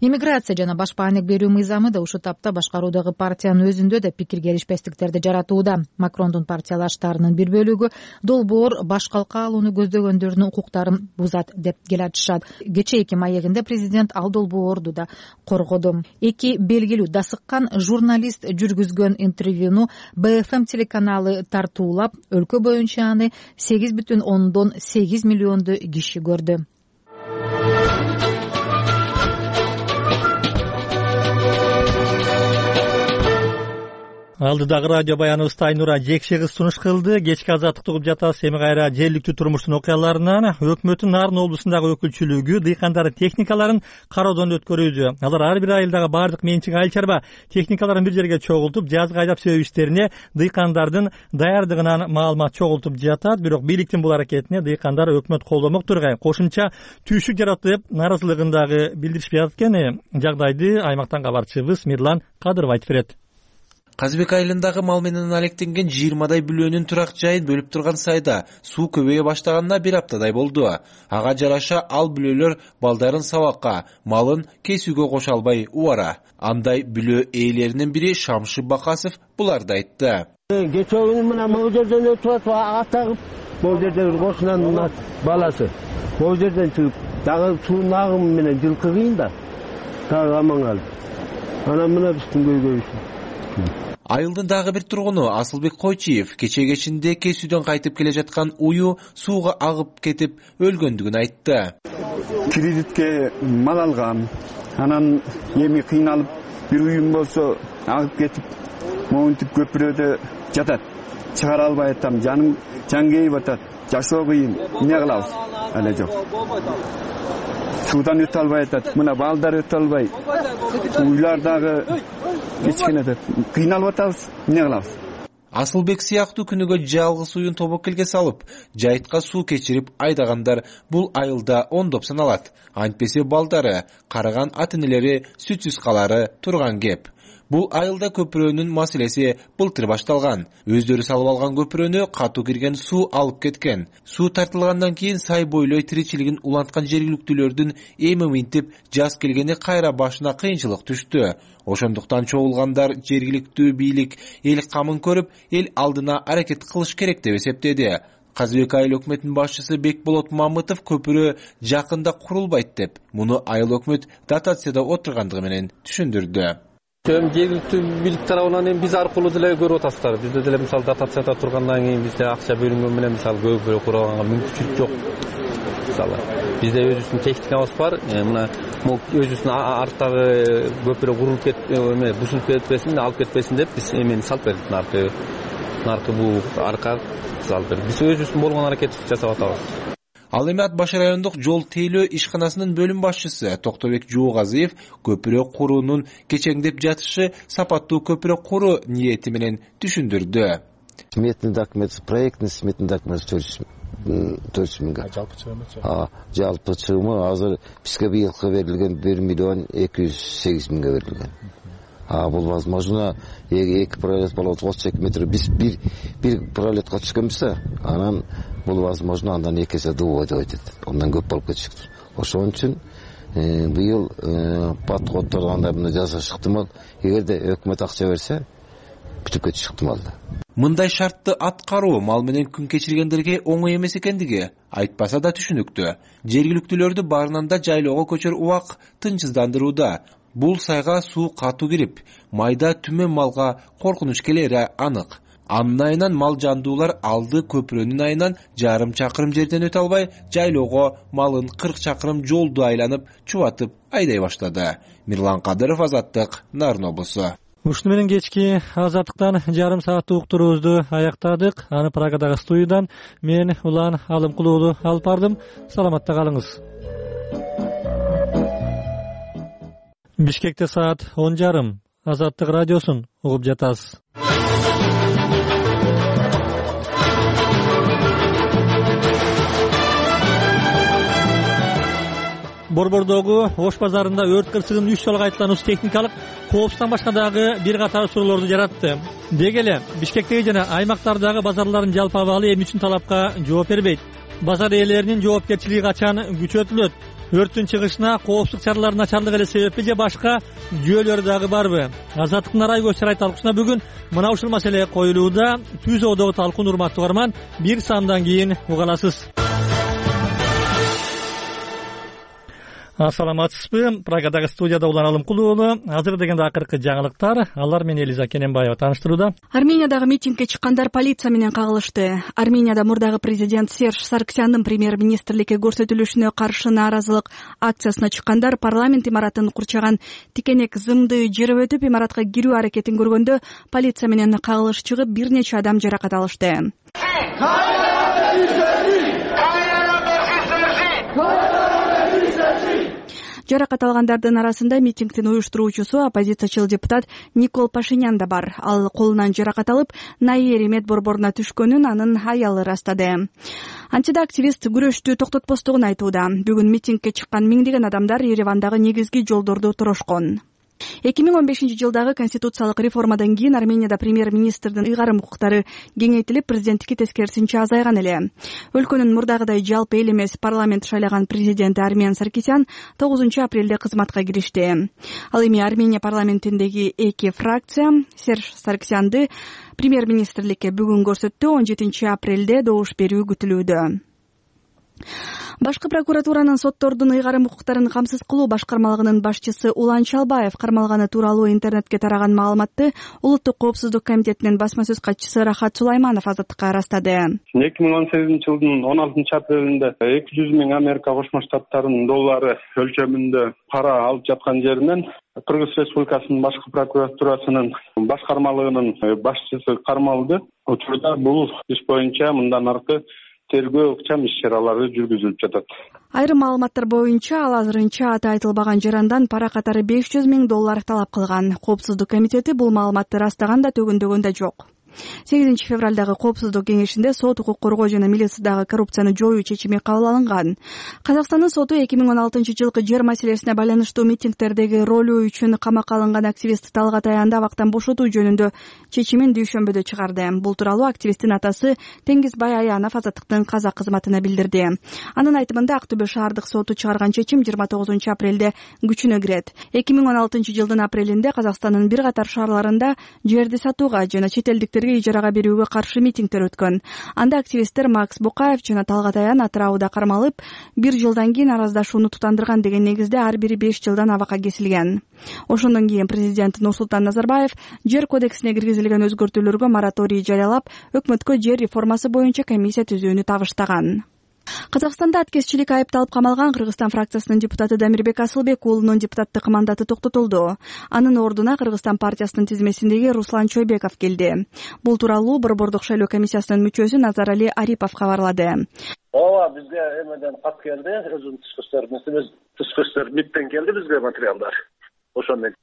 Иммиграция жана башпа анек берүү мыйзамы да ушул тапта башкаруудагы партиянын өзүндө да пикир келишпестиктерди жаратууда. Макрондун партиялаштарынын бир бөлүгү долбоор баш калка алууну көздөгөндөрдүн укуктарын бузат деп келатышат. Кечээки маегинде президент ал долбоорду да коргоду. Эки белгилүү дасыккан журналист жүргүзгөн интервьюну Б Ф М телеканалы тартуулап, өлкө боюнча аны сегиз бүтүн ондон сегиз миллионду киши көрдү. Алдыдагы радио баяныбызда Айнура Жекше кыз сунуш кылды. Кечки азаттыкты угуп жатабыз. Эми кайра жергиликтүү турмуштун окуяларынан. Өкмөттүн Нарын облусундагы өкүлчүлүгү дыйкандардын техникаларын кароодон өткөрүүдө. Алар ар бир айылдагы бардык менчик айыл чарба техникаларын бир жерге чогултуп, жазгы айдап себүү иштерине дыйкандардын даярдыгынан маалымат чогултуп жатат. Бирок бийликтин бул аракетине дыйкандар өкмөт колдомок тургай. Кошумча түйшүк жаратты деп нааразылыгын дагы билдиришпей жатат. Жагдайды аймактан кабарчыбыз Мирлан Кадыров айтып берет. Казыбек айылындагы мал менен алектенген жыйырмадай бүлөөнүн турак жайын бөлүп турган сайда суу көбөйө баштаганына бир аптадай болду. Ага жараша ал бүлөлөр балдарын сабакка, малын кесүүгө кошо албай убара. Андай бүлөө ээлеринин бири Шамши Бакасов буларды айтты. Кечээ күнү мына могу жерден өтүп атып ага тагып, могу жердеги кошунанын баласы могу жерден чыгып, дагы суунун агымы менен жылкы кыйын да, дагы аман калды. Анан мына биздин көйгөйүбүз. Айылдын дагы бир тургуну Асылбек Койчиев кечээ кечинде кесүүдөн кайтып келе жаткан уyu сууга агып кетип өлгөндүгүн айтты. Кредитке мал алгам, анан эми кыйналып бир уюм болсо агып кетип, моунтип көпүрөдө жатат. Чыгара албай атам, жаным жан кейип атат. Жашоо кыйын, эмне кылабыз? Эле жок. Суудан өтө албай атат, мына балдар өтө албай. Уйлар дагы кечкене деп кыйналып атабыз, эмне кылабыз? Асылбек сыяктуу күнүгө жалгыз уюн тобокелге салып, жайтка суу кечирип айдагандар бул айылда ондоп саналат. Антпесе балдары, карыган ата-энелери сүтсүз калары турган кеп. Бул айылда көпүрөнүн маселеси былтыр башталган. Өздөрү салып алган көпүрөнү катуу кирген суу алып кеткен. Суу тартылгандан кийин сай бойлой тиричилигин уланткан жергиликтүүлөрдүн эми минтип жаз келгени кайра башына кыйынчылык түштү. Ошондуктан чогулгандар жергиликтүү бийлик эл камын көрүп, эл алдына аракет кылыш керек деп эсептеди. Казыбек айыл өкмөтүнүн башчысы Бекболот Мамытов көпүрө жакында курулбайт деп, муну айыл өкмөт дотацияда отургандыгы менен түшүндүрдү. Эми жергиликтүү бийлик тарабынан эми биз аркылуу деле көрүп атасыздар. Бизде деле мисалы дотацияда тургандан кийин бизде акча бөлүнгөн менен мисалы көпүрө курганга мүмкүнчүлүк жок. Мисалы бизде өзүбүздүн техникабыз бар. Мына өзүбүздүн арттагы көпүрө курулуп кетип, эме бузулуп кетпесин, алып кетпесин деп биз эмени салып бердик. Наркы, наркы бул арка салып бердик. Биз өзүбүздүн болгон аракетти жасап атабыз. Ал эми Ат баш райондук жол тейлөө ишканасынын бөлүм башчысы Токтобек Жуугазиев көпүрө куруунун кечеңдеп жатышы сапаттуу көпүрө куруу ниети менен түшүндүрдү. Сметный документ, проектный сметный документ төрт жүз миңге. Жалпы чыгымы? Жалпы чыгымы азыр бизге быйылкы берилген бир миллион эки жүз сегиз миңге берилген. А бул возможно эки пролет болот отуз эки метр. Биз бир бир пролетка түшкөнбүз, анан бул возможно андан эки эсе дубо деп айтат. Ондан көп болуп кетишиктир. Ошон үчүн быйыл подходторду андай жасаш ыктымал. Эгерде өкмөт акча берсе, бүтүп кетиш ыктымал да. Мындай шартты аткаруу мал менен күн кечиргендерге оңой эмес экендиги айтпаса да түшүнүктүү. Жергиликтүүлөрдү баарынан да жайлоого көчөр убак тынчсыздандырууда. Бул сайга суу катуу кирип, майда түмөн малга коркунуч келери анык. Анын айынан мал жандуулар алды көпүрөнүн айынан жарым чакырым жерден өтө албай, жайлоого малын кырк чакырым жолду айланып, чубатып айдай баштады. Мирлан Кадыров, Азаттык, Нарын облусу. Ушуну менен кечки Азаттыктан жарым сааттык уктуруубузду аяктадык. Аны Прагадагы студиядан мен Улан Алымкулуу алып бардым. Саламатта калыңыз. Бишкекте саат он жарым. Азаттык радиосун угуп жатасыз. Борбордогу Ош базарында өрт кырсыгынын үч жолу кайталануусу техникалык коопсуздуктан башка дагы бир катар суроолорду жаратты. Деги эле Бишкектеги жана аймактардагы базарлардын жалпы абалы эмне үчүн талапка жооп бербейт? Базар ээлеринин жоопкерчилиги качан күчөтүлөт? Өрттүн чыгышына коопсуздук чараларынын начарлыгы эле себеппи же башка жүйөлөр дагы барбы? Азаттыктын арай көз чарай талкуусуна бүгүн мына ушул маселе коюлууда. Түз одогу талкуун, урматтуу угарман, бир саамдан кийин уга аласыз. Ассаламатсызбы? Прагадагы студияда Улан Алымкулуу. Азыр дегенде акыркы жаңылыктар. Алар менен Элиза Кененбаева тааныштырууда. Армениядагы митингге чыккандар полиция менен кагылышты. Арменияда мурдагы президент Серж Сарксяндын премьер-министрликке көрсөтүлүшүнө каршы нааразылык акциясына чыккандар парламент имаратын курчаган тикенек зымды жерип өтүп имаратка кирүү аракетин көргөндө полиция менен кагылыш чыгып бир нече адам жаракат алышты. Жаракат алгандардын арасында митингдин уюштуруучусу оппозициячыл депутат Никол Пашинян да бар. Ал колунан жаракат алып, Найери медборборуна түшкөнүн анын аялы ырастады. Антида-активист күрөштү токтотпостугун айтууда. Бүгүн митингге чыккан миңдеген адамдар Еревандагы негизги жолдорду турошкон. эки миң он бешинчи жылдагы конституциялык реформадан кийин Арменияда премьер-министрдин ыйгарым укуктары кеңейтилип, президенттики тескерисинче азайган эле. Өлкөнүн мурдагыдай жалпы эл эмес парламент шайлаган президенти Армен Саркисян тогузунчу апрелде кызматка киришти. Ал эми Армения парламентиндеги эки фракция Серж Саркисянды премьер-министрликке бүгүн көрсөттү. он жетинчи апрелде добуш берүү күтүлүүдө. Башкы прокуратуранын соттордун ыйгарым укуктарын камсыз кылуу башкармалыгынын башчысы Улан Чалбаев кармалганы тууралуу интернетке тараган маалыматты Улуттук коопсуздук комитетинин басма сөз катчысы Рахат Сулайманов Азаттыкка ырастады. эки миң он сегизинчи жылдын он алтынчы апрелинде эки жүз миң Америка Кошмо Штаттарынын доллары өлчөмүндө пара алып жаткан жеринен Кыргыз Республикасынын башкы прокуратурасынын башкармалыгынын башчысы кармалды. Учурда бул иш боюнча мындан аркы тергөө ыкчам иш-чаралары жүргүзүлүп жатат. Айрым маалыматтар боюнча ал азырынча аты айтылбаган жарандан пара катары беш жүз миң доллар талап кылган. Коопсуздук комитети бул маалыматты ырастаган да төгөндөгөн да жок. сегизинчи февралдагы коопсуздук кеңешинде сот, укук коргоо жана милициядагы коррупцияны жоюу чечими кабыл алынган. Казакстандын соту эки миң он алтынчы жылкы жер маселесине байланыштуу митингдердеги ролу үчүн камакка алынган активист Талгат Аянды абактан бошотуу жөнүндө чечимин дүйшөмбөдө чыгарды. Бул тууралуу активисттин атасы Теңизбай Аянов Азаттыктын казак кызматына билдирди. Анын айтымында Ак Төбө шаардык соту чыгарган чечим жыйырма тогузунчу апрелде күчүнө кирет. эки миң он алтынчы жылдын апрелинде Казакстандын бир катар шаарларында жерди сатууга жана чет элдиктер ижарага берүүгө каршы митингдер өткөн. Анда активисттер Макс Букаев жана Талгат Аян атырауда кармалып, бир жылдан кийин араздашууну тутандырган деген негизде ар бири беш жылдан абакка кесилген. Ошондон кийин президент Нурсултан Назарбаев жер кодексине киргизилген өзгөртүүлөргө мораторий жарыялап, өкмөткө жер реформасы боюнча комиссия түзүүнү табыштаган. Казакстанда аткезчилик айыпталып камалган Кыргызстан фракциясынын депутаты Дамирбек Асылбек уулунун депутаттык мандаты токтотулду. Анын ордуна Кыргызстан партиясынын тизмесиндеги Руслан Чойбеков келди. Бул тууралуу Борбордук шайлоо комиссиясынын мүчөсү Назарали Арипов кабарлады. Ооба, бизге эмеден кат келди, өзүнүн тышкы иштер министрибиз, тышкы иштер биттен келди бизге материалдар. Ошондой.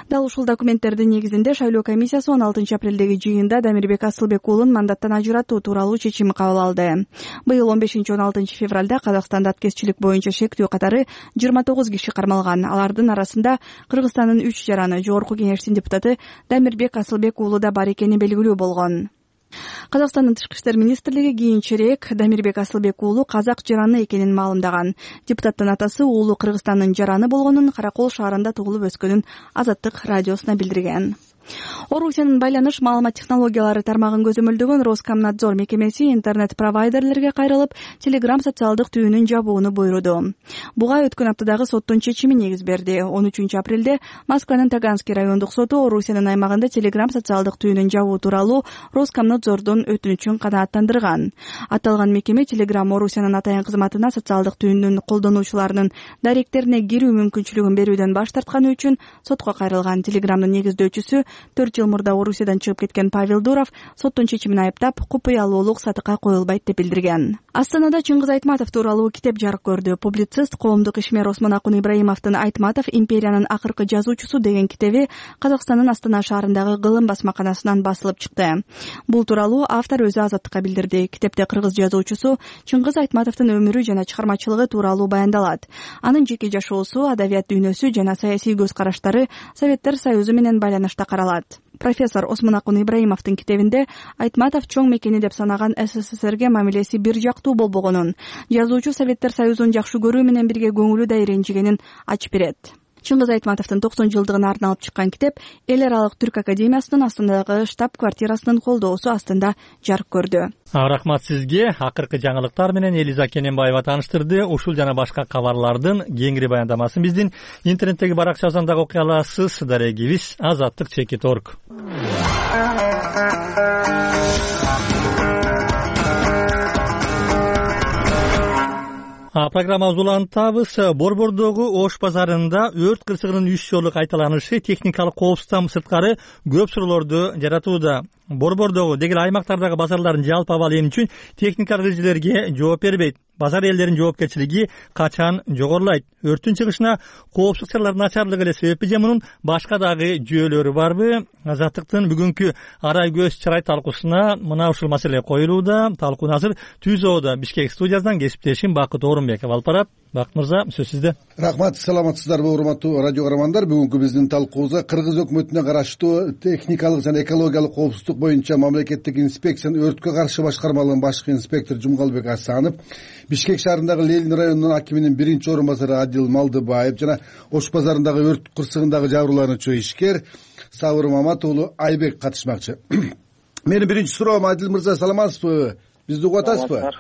Дал ушул документтердин негизинде шайлоо комиссиясы он алтынчы апрелдеги жыйында Дамирбек Асылбек уулун мандаттан ажыратуу тууралуу чечим кабыл алды. Быйыл он бешинчи он алтынчы февралда Казакстанда аткезчилик боюнча шектүү катары жыйырма тогуз киши кармалган. Алардын арасында Кыргызстандын үч жараны, жогорку кеңештин депутаты Дамирбек Асылбек уулу да бар экени белгилүү болгон. Казакстандын тышкы иштер министрлиги кийинчерээк Дамирбек Асылбек уулу казак жараны экенин маалымдаган. Депутаттын атасы уулу Кыргызстандын жараны болгонун, Каракол шаарында туулуп өскөнүн Азаттык радиосуна билдирген. Орусиянын байланыш маалымат технологиялары тармагын көзөмөлдөгөн Роскомнадзор мекемеси интернет-провайдерлерге кайрылып, Telegram социалдык түйүнүн жабууну буйруду. Буга өткөн аптадагы соттун чечими негиз берди. он үчүнчү апрелде Москванын Таганский райондук соту Орусиянын аймагында Telegram социалдык түйүнүн жабуу тууралуу Роскомнадзордун өтүнүчүн канааттандырган. Аталган мекеме Telegram Орусиянын атайын кызматына социалдык түйүнүн колдонуучуларынын даректерине кирүү мүмкүнчүлүгүн берүүдөн баш тартканы үчүн сотко кайрылган. Telegramдын негиздөөчүсү төрт жыл мурда Орусиядан чыгып кеткен Павел Дуров соттун чечимин айыптап, купуялуулук сатыкка коюлбайт деп билдирген. Астанада Чыңгыз Айтматов тууралуу китеп жарык көрдү. Публицист, коомдук ишмер Осмонакун Ибраимовдун «Айтматов империянын акыркы жазуучусу» деген китеби Казакстандын Астана шаарындагы Кылым басмаканасынан басылып чыкты. Бул тууралуу автор өзү Азаттыкка билдирди. Китепте кыргыз жазуучусу Чыңгыз Айтматовдун өмүрү жана чыгармачылыгы тууралуу баяндалат. Анын жеке жашоосу, адабият дүйнөсү жана саясий көз караштары Советтер Союзу менен байланышта каралат. Профессор Осмонакун Ибраимовдун китебинде Айтматов чоң мекени деп санаган СССРге мамилеси бир жактуу болбогонун, жазуучу Советтер Союзун жакшы көрүү менен бирге көңүлү да ренжигенин ачып берет. Чыңгыз Айтматовдун токсон жылдыгына арналып чыккан китеп Эл аралык Түрк академиясынын Астанадагы штаб-квартирасынын колдоосу астында жарык көрдү. Рахмат сизге. Акыркы жаңылыктар менен Элиза Кененбаева тааныштырды. Ушул жана башка кабарлардын кеңири баяндамасын биздин интернеттеги баракчабыздан дагы окуй аласыз. Дарегибиз азаттык чекит точка орг. Программабызды улантабыз. Борбордогу Ош базарында өрт кырсыгынын үч жолу кайталанышы техникалык коопсуздуктан сырткары көп суроолорду жаратууда. Борбордогу дегил аймактардагы базарлардын жалпы абалы эмне үчүн техникалык эрежелерге жооп бербейт? Базар элдеринин жоопкерчилиги качан жогорулайт? Өрттүн чыгышына коопсуздук чараларынын начарлыгы эле себеппи же мунун башка дагы жүйөлөрү барбы? Азаттыктын бүгүнкү арай көз чырай талкуусуна мына ушул маселе коюлууда. Талкууну азыр Түзөөдө Бишкек студиясынан кесиптешим Бакыт Орунбеков алып барат. Бакыт мырза, сөз сизде. Рахмат, саламатсыздарбы урматтуу радио көрөрмандар. Бүгүнкү биздин талкуубузда Кыргыз өкмөтүнө караштуу техникалык жана экологиялык коопсуздук боюнча мамлекеттик инспекциянын өрткө каршы башкармалыгынын башкы инспектору Жумгалбек Асанов, Бишкек шаарындагы Ленин районунун акиминин биринчи орун басары Адил Малдыбаев жана Ош базарындагы өрт кырсыгындагы жабырлануучу ишкер Сабыр Маматуулу Айбек катышмакчы. Менин биринчи суроом, Адил мырза, саламатсызбы? Бизди угуп атасызбы?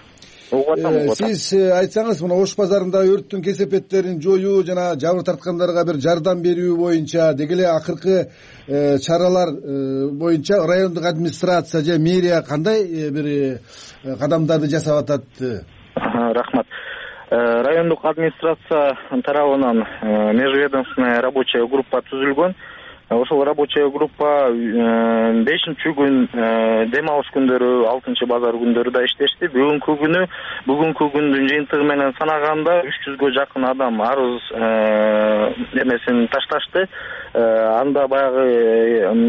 Сиз айтсаңыз, мына Ош базарында өрттүн кесепеттерин жоюу жана жабыр тарткандарга бир жардам берүү боюнча деги эле акыркы чаралар боюнча райондук администрация же мэрия кандай бир кадамдарды жасап атат? Рахмат. Райондук администрация тарабынан межведомственная рабочая группа түзүлгөн. Ошол рабочая группа бешинчи күн дем алыш күндөрү, алтынчы базар күндөрү да иштешти. Бүгүнкү күнү, бүгүнкү күндүн жыйынтыгы менен санаганда үч жүзгө жакын адам арыз эмесин ташташты. Анда баягы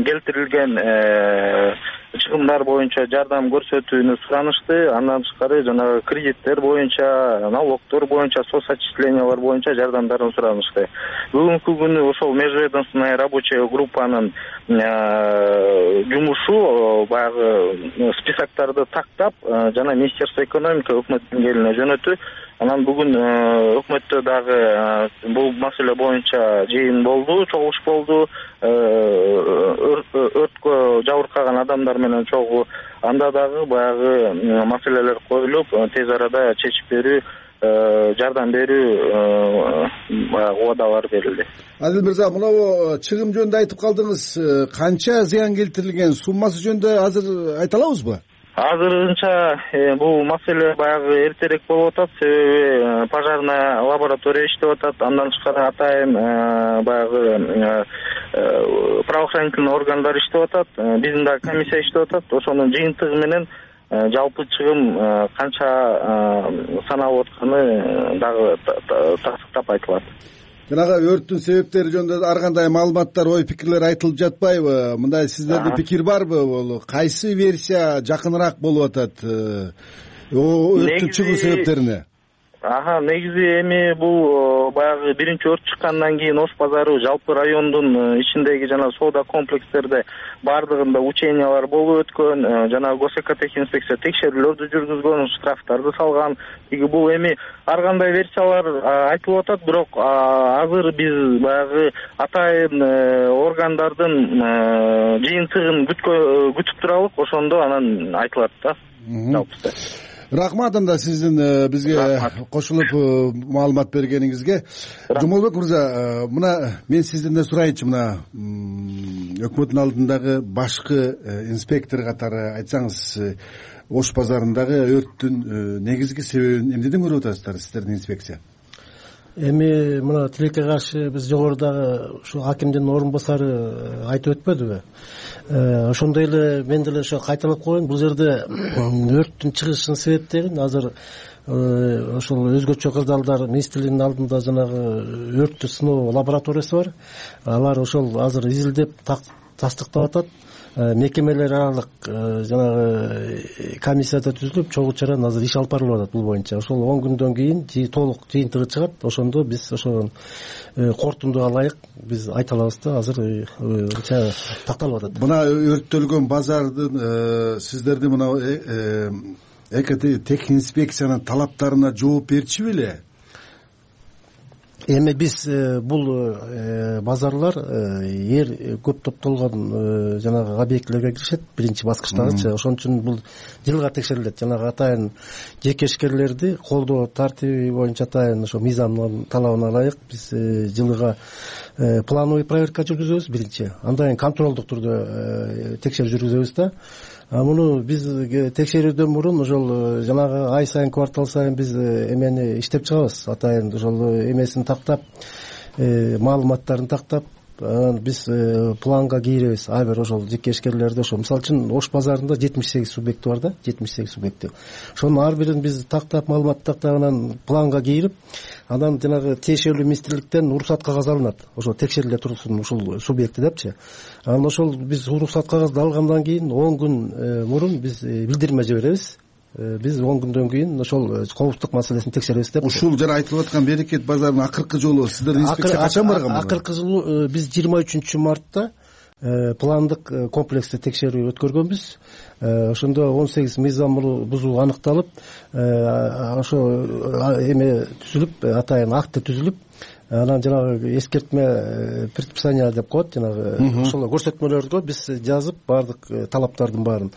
келтирилген чыгымдар боюнча жардам көрсөтүүнү суранышты. Андан тышкары жанагы кредиттер боюнча, налогдор боюнча, соцотчислениялар боюнча жардамдарын суранышты. Бүгүнкү күнү ошол межведомственная рабочая группанын жумушу баягы списоктарды тактап жана Министерство экономика өкмөт деңгээлине жөнөтүү. Анан бүгүн өкмөттө дагы бул маселе боюнча жыйын болду, чогулуш болду. Өрткө жабыркаган адамдар менен чогуу анда дагы баягы маселелер коюлуп, тез арада чечип берүү, жардам берүү баягы убадалар берилди. Адил мырза, мына чыгым жөнүндө айтып калдыңыз. Канча зыян келтирилген, суммасы жөнүндө азыр айта алабызбы? Азырынча бул маселе баягы эртерээк болуп атат, себеби пожарная лаборатория иштеп атат. Андан тышкары атайын баягы правоохранительный органдар иштеп атат, биздин дагы комиссия иштеп атат. Ошонун жыйынтыгы менен жалпы чыгым канча саналып атканы дагы тастыктап айтылат. Жанагы өрттүн себептери жөнүндө ар кандай маалыматтар, ой пикирлер айтылып жатпайбы? Мындай сиздерде пикир барбы? Бул кайсы версия жакыныраак болуп атат өрттүн чыгуу себептерине? Ага, негизи эми бул баягы биринчи өрт чыккандан кийин Ош базары жалпы райондун ичиндеги жана соода комплекстерде бардыгында учениялар болуп өткөн, жана госэкотехинспекция текшерүүлөрдү жүргүзгөн, штрафтарды салган. Тиги бул эми ар кандай версиялар айтылып атат, бирок азыр биз баягы атайын органдардын жыйынтыгын күтүп туралык, ошондо анан айтылат да жалпысы. Рахмат анда сиздин бизге кошулуп маалымат бергениңизге. Жумалбек мырза, мына мен сизден да сурайынчы, мына өкмөттүн алдындагы башкы инспектор катары айтсаңыз, Ош базарындагы өрттүн негизги себебин эмнеден көрүп атасыздар сиздердин инспекция? Эми мына тилекке каршы биз жогорудагы ушу акимдин орун басары айтып өтпөдүбү? Ошондой эле мен деле ошо кайталап коеюн, бул жерде өрттүн чыгышынын себептерин азыр ошол өзгөчө кырдаалдар министрлигинин алдында жанагы өрттү сыноо лабораториясы бар. Алар ошол азыр изилдеп тастыктап атат. Мекемелер аралык жанагы комиссияда түзүлүп, чогуу чаран азыр иш алып барылып атат бул боюнча. Ошол он күндөн кийин толук жыйынтыгы чыгат. Ошондо биз ошол корутундуга ылайык биз айта алабыз да, азыр анча такталып атат. Мына өрттөлгөн базардын сиздердин мына экотехинспекциянын талаптарына жооп берчү беле? Эми биз бул базарлар эр көп топтолгон жанагы объектилерге киришет, биринчи баскычтагычы. Ошон үчүн бул жылга текшерилет. Жанагы атайын жекешкерлерди колдоо тартиби боюнча атайын ошо мыйзамдын талабына ылайык биз жылга плановый проверка жүргүзөбүз биринчи. Андан кийин контролдук түрдө текшерүү жүргүзөбүз да. Муну биз текшерүүдөн мурун ошол жанагы ай сайын, квартал сайын биз эмени иштеп чыгабыз. Атайын ошол эмесин тактап, маалыматтарын тактап, анан биз планга кийребиз. Ар бир ошол жекешкерлерди ошо мисалы үчүн Ош базарында жетимиш сегиз субъекти бар да, жетимиш сегиз субъекти. Ошонун ар бирин биз тактап, маалымат тактап, анан планга кийирип, анан жанагы тиешелүү министрликтен уруксат кагазы алынат. Ошол текшериле турсун ушул субъекти депчи. Анан ошол биз уруксат кагазды алгандан кийин он күн мурун биз билдирме жиберебиз. Биз он күндөн кийин ошол коопсуздук маселесин текшеребиз деп. Ушул жана айтылып аткан Берекет базарынын акыркы жолу сиздердин инспекция качан барган? Акыркы жолу биз жыйырма үчүнчү мартта пландык комплексте текшерүү өткөргөнбүз. Ошондо он сегиз мыйзам бузуу аныкталып, ошо эме түзүлүп, атайын акты түзүлүп, анан жанагы эскертме предписание деп коет, жанагы ошол көрсөтмөлөрдү биз жазып бардык талаптардын баарын.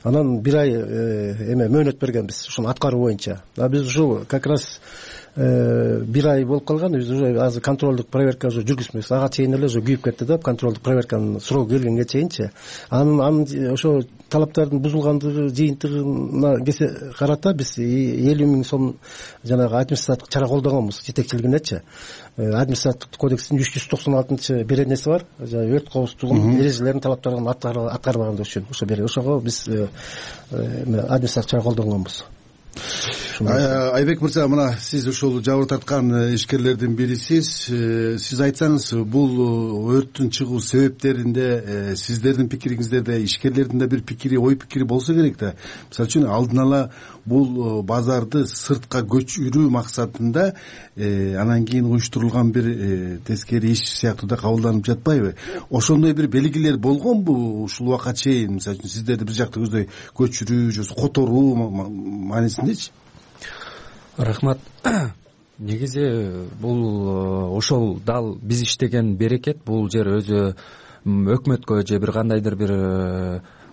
Анан бир ай эме мөөнөт бергенбиз ушуну аткаруу боюнча. А биз ушул как раз бир ай болуп калган, биз уже азыр контролдук проверка уже жүргүзмөйбүз. Ага чейин эле уже күйүп кетти да, контролдук проверканын сроку келгенге чейинчи. Анын анын ошо талаптардын бузулгандыгы жыйынтыгына карата биз элүү миң сом жанагы административдик чара колдогонбуз жетекчилигинечи. Административдик кодекстин үч жүз токсон алтынчы беренеси бар. Өрт коопсуздугунун эрежелерин, талаптарын аткарбагандыгы үчүн ошо бери ошого биз административдик чара колдогонбуз. Айбек мырза, мына сиз ушул жабыр тарткан ишкерлердин бирисиз. Сиз айтсаңыз, бул өрттүн чыгуу себептеринде сиздердин пикириңиздерде, ишкерлердин да бир пикири, ой пикири болсо керек да. Мисалы үчүн алдын ала бул базарды сыртка көчүрүү максатында анан кийин уюштурулган бир тескери иш сыяктуу да кабылданып жатпайбы? Ошондой бир белгилер болгонбу ушул убакка чейин? Мисалы үчүн сиздерди бир жакта көздөй көчүрүү же которуу маанисиндечи? Рахмат. Негизи бул ошол дал биз иштеген Берекет, бул жер өзү өкмөткө же бир кандайдыр бир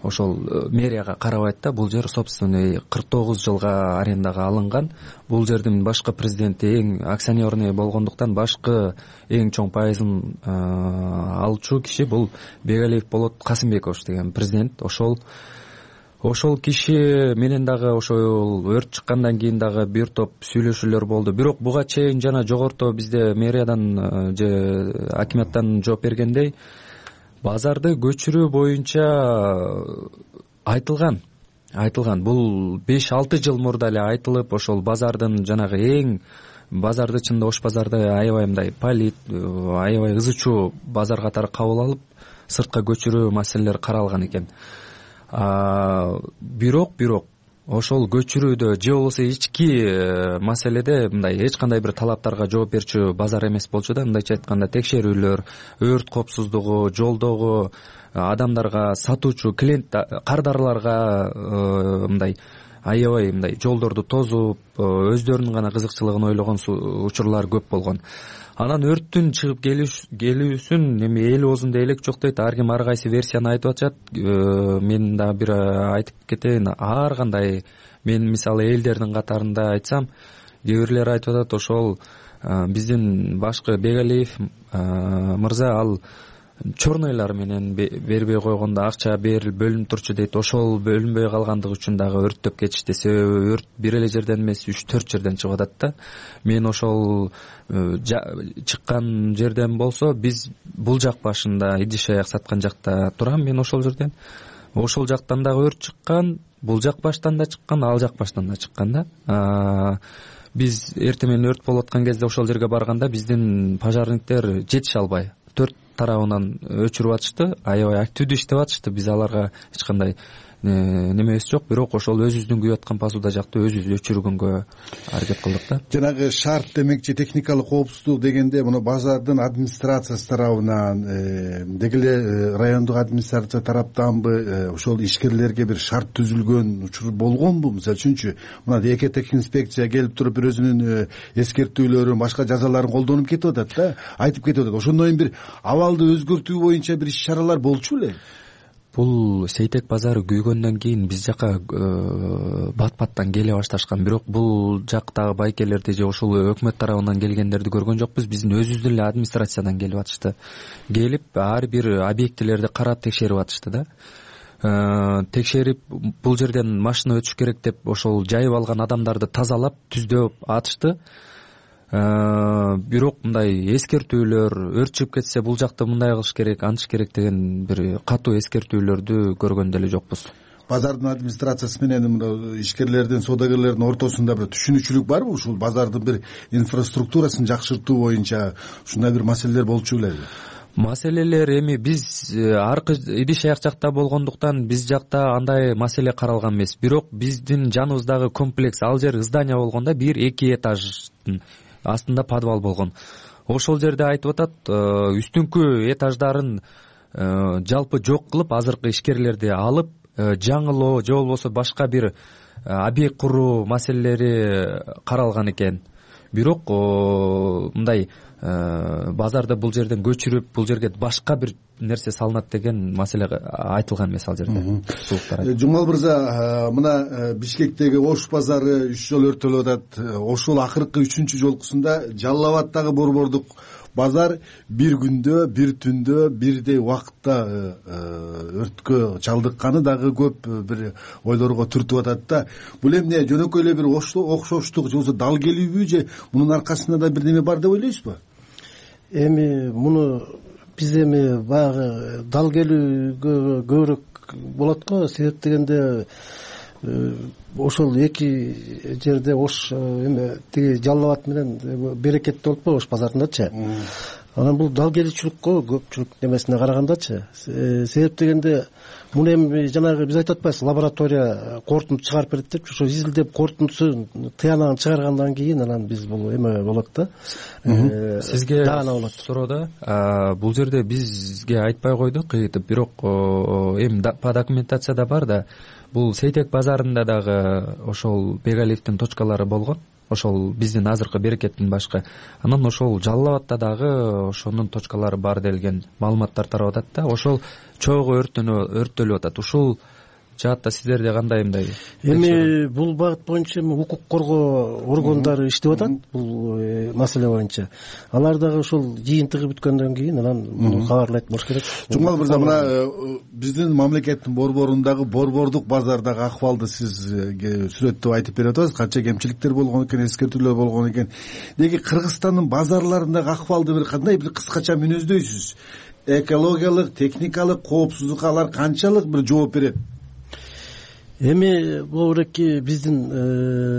ошол мэрияга карабайт да. Бул жер собственный кырк тогуз жылга арендага алынган. Бул жердин башкы президенти эң акционерный болгондуктан башкы эң чоң пайызын алчу киши бул Бегалиев Болот Касымбекович деген президент. Ошол Ошол киши менен дагы ошол өрт чыккандан кийин дагы бир топ сүйлөшүүлөр болду. Бирок буга чейин жана жогорто бизде мэриядан же акиматтан жооп бергендей, базарды көчүрүү боюнча айтылган. Айтылган. Бул беш алты жыл мурда эле айтылып, ошол базардын жанагы эң базарды чында Ош базарды аябай мындай полит, аябай ызычуу базар катары кабыл алып, сыртка көчүрүү маселелери каралган экен. Бирок бирок ошол көчүрүүдө же болбосо ички маселеде мындай эч кандай бир талаптарга жооп берчү базар эмес болчу да. Мындайча айтканда текшерүүлөр, өрт коопсуздугу, жолдогу адамдарга, сатуучу клиент кардарларга мындай аябай мындай жолдорду тозуп өздөрүнүн гана кызыкчылыгын ойлогон учурлар көп болгон. Анан өрттүн чыгып келүүсүн эми эл оозунда элек жок дейт, ар ким ар кайсы версияны айтып атышат. Мен дагы бир айтып кетейин, ар кандай мен мисалы элдердин катарында айтсам, кээ бирлер айтып атат ошол биздин башкы Бегалиев мырза ал чорнойлар менен бербей койгондо акча берилип бөлүнүп турчу дейт. Ошол бөлүнбөй калгандыгы үчүн дагы өрттөп кетишти. Себеби өрт бир эле жерден эмес, үч төрт жерден чыгып атат да. Мен ошол чыккан жерден болсо, биз бул жак башында идиш аяк саткан жакта турам, мен ошол жерден. Ошол жактан дагы өрт чыккан, бул жак баштан да чыккан, ал жак баштан да чыккан да. Биз эртең менен өрт болуп аткан кезде ошол жерге барганда биздин пожарниктер жетише албай төрт тарабынан өчүрүп атышты, аябай активдүү иштеп атышты. Биз аларга эч кандай немебиз жок, бирок ошол өзүбүздүн күйүп аткан посуда жакты өзүбүз өчүргөнгө аракет кылдык да. Жанагы шарт демекчи техникалык коопсуздук дегенде муну базардын администрациясы тарабынан деги эле райондук администрация тараптанбы ошол ишкерлерге бир шарт түзүлгөн учур болгонбу? Мисалы үчүнчү мына эки тех инспекция келип туруп бир өзүнүн эскертүүлөрүн, башка жазаларын колдонуп кетип атат да, айтып кетип атат. Ошондон кийин бир абалды өзгөртүү боюнча бир иш чаралар болчу беле? Бул Сейтек базары күйгөндөн кийин биз жака бат-баттан келе башташкан, бирок бул жактагы байкелерди же ошол өкмөт тарабынан келгендерди көргөн жокпуз. Биздин өзүбүздүн эле администрациядан келип атышты. Келип ар бир объектилерди карап текшерип атышты да. Текшерип бул жерден машина өтүш керек деп ошол жайып алган адамдарды тазалап, түздөп атышты. Бирок мындай эскертүүлөр, өрт чыгып кетсе бул жакта мындай кылыш керек, антыш керек деген бир катуу эскертүүлөрдү көргөн деле жокпуз. Базардын администрациясы менен ишкерлердин, соодагерлердин ортосунда бир түшүнүкчүлүк барбы? Ушул базардын бир инфраструктурасын жакшыртуу боюнча ушундай бир маселелер болчу белеби? Маселелер эми биз аркы идиш аяк жакта болгондуктан биз жакта андай маселе каралган эмес. Бирок биздин жаныбыздагы комплекс, ал жер здание болгондо бир эки этаждын астында подвал болгон. Ошол жерде айтып атат, үстүнкү этаждарын жалпы жок кылып, азыркы ишкерлерди алып, жаңылоо же болбосо башка бир объект куруу маселелери каралган экен. Бирок мындай базарды бул жерден көчүрүп, бул жерге башка бир нерсе салынат деген маселе айтылган эмес ал жерде. Жумал мырза, мына Бишкектеги Ош базары үч жолу өрттөлүп атат. Ошол акыркы үчүнчү жолкусунда Жалал Абаддагы борбордук базар бир күндө, бир түндө, бирдей убакытта өрткө чалдыкканы дагы көп бир ойлорго түртүп атат да. Бул эмне жөнөкөй эле бир окшоштук же болбосо дал келүүбү, же мунун аркасында да бир неме бар деп ойлойсузбу? Эми муну биз эми баягы дал келүүгө көбүрөөк болот го. Себеп дегенде ошол эки жерде Ош эме тиги Жалал Абад менен Берекетте болуп Ош базарындачы. Анан бул дал келүүчүлүккө көпчүлүк немесине карагандачы. Себеп дегенде муну эми жанагы биз айтып атпайбыз, лаборатория корутунду чыгарып берет деп, ошо изилдеп корутундусун тыянагын чыгаргандан кийин анан биз бул эме болот да. Сизге суроо да, бул жерде бизге айтпай койдук, бирок эми по документацияда бар да, бул Сейтек базарында дагы ошол Бегалиевдин точкалары болгон. Ошол биздин азыркы Берекеттин башка. Анан ошол Жалал Абадда дагы ошонун точкалары бар делген маалыматтар тарап атат да. Ошол чогуу өрттөлүп атат. Ушул жаатта сиздерде кандай мындай? Эми бул багыт боюнча укук коргоо органдары иштеп атат бул маселе боюнча. Алар дагы ошол жыйынтыгы бүткөндөн кийин анан муну кабарлайт болуш керек. Жумал мырза, мына биздин мамлекеттин борборундагы борбордук базардагы акыбалды сиз сүрөттөп айтып берип атасыз. Канча кемчиликтер болгон экен, эскертүүлөр болгон экен. Деги Кыргызстандын базарларындагы акыбалды бир кандай бир кыскача мүнөздөйсүз? Экологиялык, техникалык коопсуздукка алар канчалык бир жооп берет? Эми бул эки биздин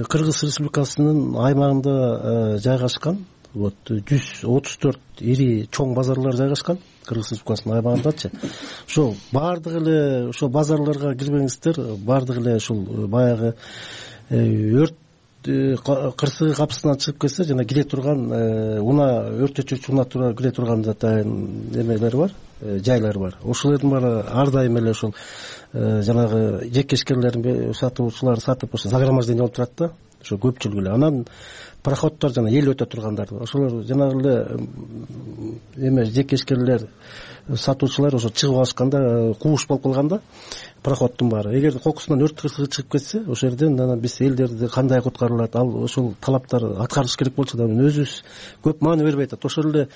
Кыргыз Республикасынын аймагында жайгашкан вот жүз отуз төрт ири чоң базарлар жайгашкан Кыргыз Республикасынын аймагындачы. Ошол баардык эле ошол базарларга кирбеңиздер, баардык эле ушул баягы өрт кырсыгы капысынан чыгып кетсе жана кире турган унаа өртөчүчү унаа тура кире турган атайын эмелер бар, жайлар бар. Ошолордун баары ар дайым эле ошол жанагы жекешкерлердин сатуучулар сатып ошо загромождение болуп турат да, ошо көпчүлүгү эле. Анан пароходдор жана эл өтө тургандар, ошолор жанагы эле эме жекешкерлер сатуучулар ошо чыгып алышканда кууш болуп калганда пароходдун баары эгер кокусунан өрт кырсыгы чыгып кетсе ошол жерден анан биз элдерди кандай куткарылат, ал ошол талаптар аткарылыш керек болчу да өзүбүз көп маани бербей атат. Ошол эле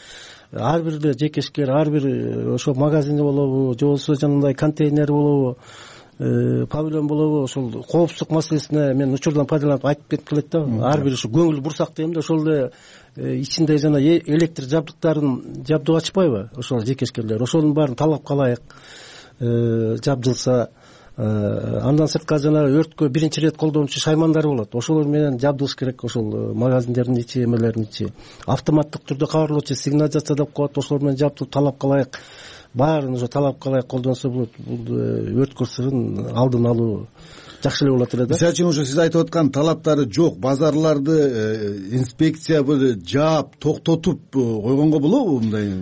ар бир эле жекешкер, ар бир ошо магазини болобу же болбосо жанагындай контейнер болобу, павильон болобу, ошол коопсуздук маселесине мен учурдан пайдаланып айтып кетип келет да. Ар бир ушу көңүл бурсак дейм да, ошол эле ичинде жана электр жабдыктарын жабдып ачпайбы ошол жекешкерлер, ошонун баарын талапка ылайык жабдылса, андан сырткары жана өрткө биринчи ирет колдонуучу шаймандар болот, ошолор менен жабдылыш керек. Ошол магазиндердин ичи эмелердин ичи автоматтык түрдө кабарлоочу сигнализация деп коет, ошолор менен жабдылып талапка ылайык баарын ошо талапка ылайык колдонсо болот. Бул өрт кырсыгын алдын алуу жакшы эле болот эле да. Мисалы үчүн ошо сиз айтып аткан талаптары жок базарларды инспекция жаап токтотуп койгонго болобу мындай?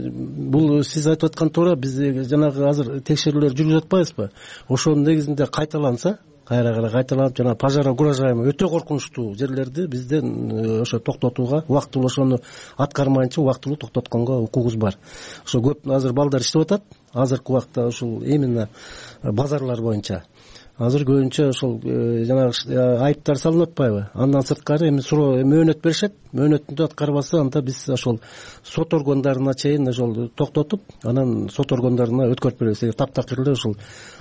Бул сиз айтып аткан туура, биз жанагы азыр текшерүүлөр жүргүзүп атпайбызбы? Ошонун негизинде кайталанса, кайра кайра кайталанып жана пожар угрожаемый өтө коркунучтуу жерлерди бизден ошо токтотууга, убактылуу ошону аткармайынча убактылуу токтотконго укугубуз бар. Ошо көп азыр балдар иштеп атат азыркы убакта ушул именно базарлар боюнча. Азыр көбүнчө ошол жанагы айыптар салынып атпайбы? Андан сырткары эми суроо мөөнөт беришет, мөөнөттү аткарбаса анда биз ошол сот органдарына чейин ошол токтотуп, анан сот органдарына өткөрүп беребиз. Эгер таптакыр эле ошол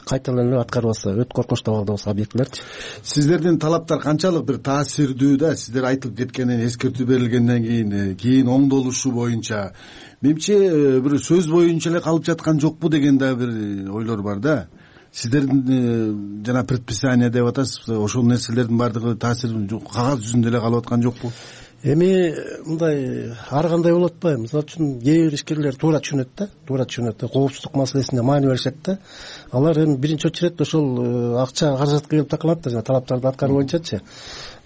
кайталан эле аткарбаса, өтө коркунучтуу абалда болсо объектилерчи. Сиздердин талаптар канчалык бир таасирдүү да? Сиздер айтылып кеткенден, эскертүү берилгенден кийин кийин оңдолушу боюнча менимче бир сөз боюнча эле калып жаткан жокпу деген да бир ойлор бар да. Сиздердин жана предписание деп атасыз, ошол нерселердин баардыгы таасир кагаз жүзүндө эле калып аткан жокпу? Эми мындай ар кандай болуп атпайбы? Мисалы үчүн кээ бир ишкерлер туура түшүнөт да, туура түшүнөт да, коопсуздук маселесине маани беришет да. Алар эми биринчи очередь ошол акча каражатка келип такалат да, жана талаптарды аткаруу боюнчачы.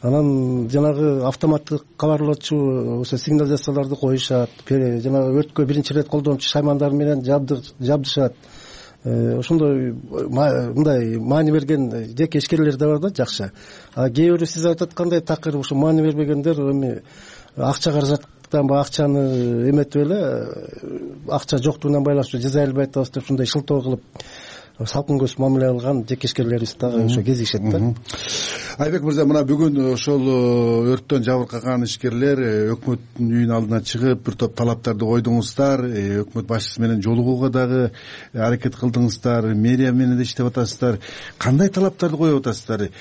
Анан жанагы автоматтык кабарлоочу ошо сигнализацияларды коюшат, жанагы өрткө биринчи ирет колдонуучу шаймандар менен жабдышат. Ошондой мындай маани берген жеке ишкерлер да бар да, жакшы. А кээ бирөө сиз айтып аткандай такыр ошо маани бербегендер эми акча каражаттан ба акчаны эметип эле акча жоктугунан байланыштуу жаза албай атабыз деп ушундай шылтоо кылып салкын көз мамиле кылган жекешкерлерибиз дагы ошо кезигишет да. Айбек мырза, мына бүгүн ошол өрттөн жабыркаган ишкерлер өкмөттүн үйүнүн алдына чыгып бир топ талаптарды койдуңуздар, өкмөт башчысы менен жолугууга дагы аракет кылдыңыздар, мэрия менен да иштеп атасыздар. Кандай талаптарды коюп атасыздар?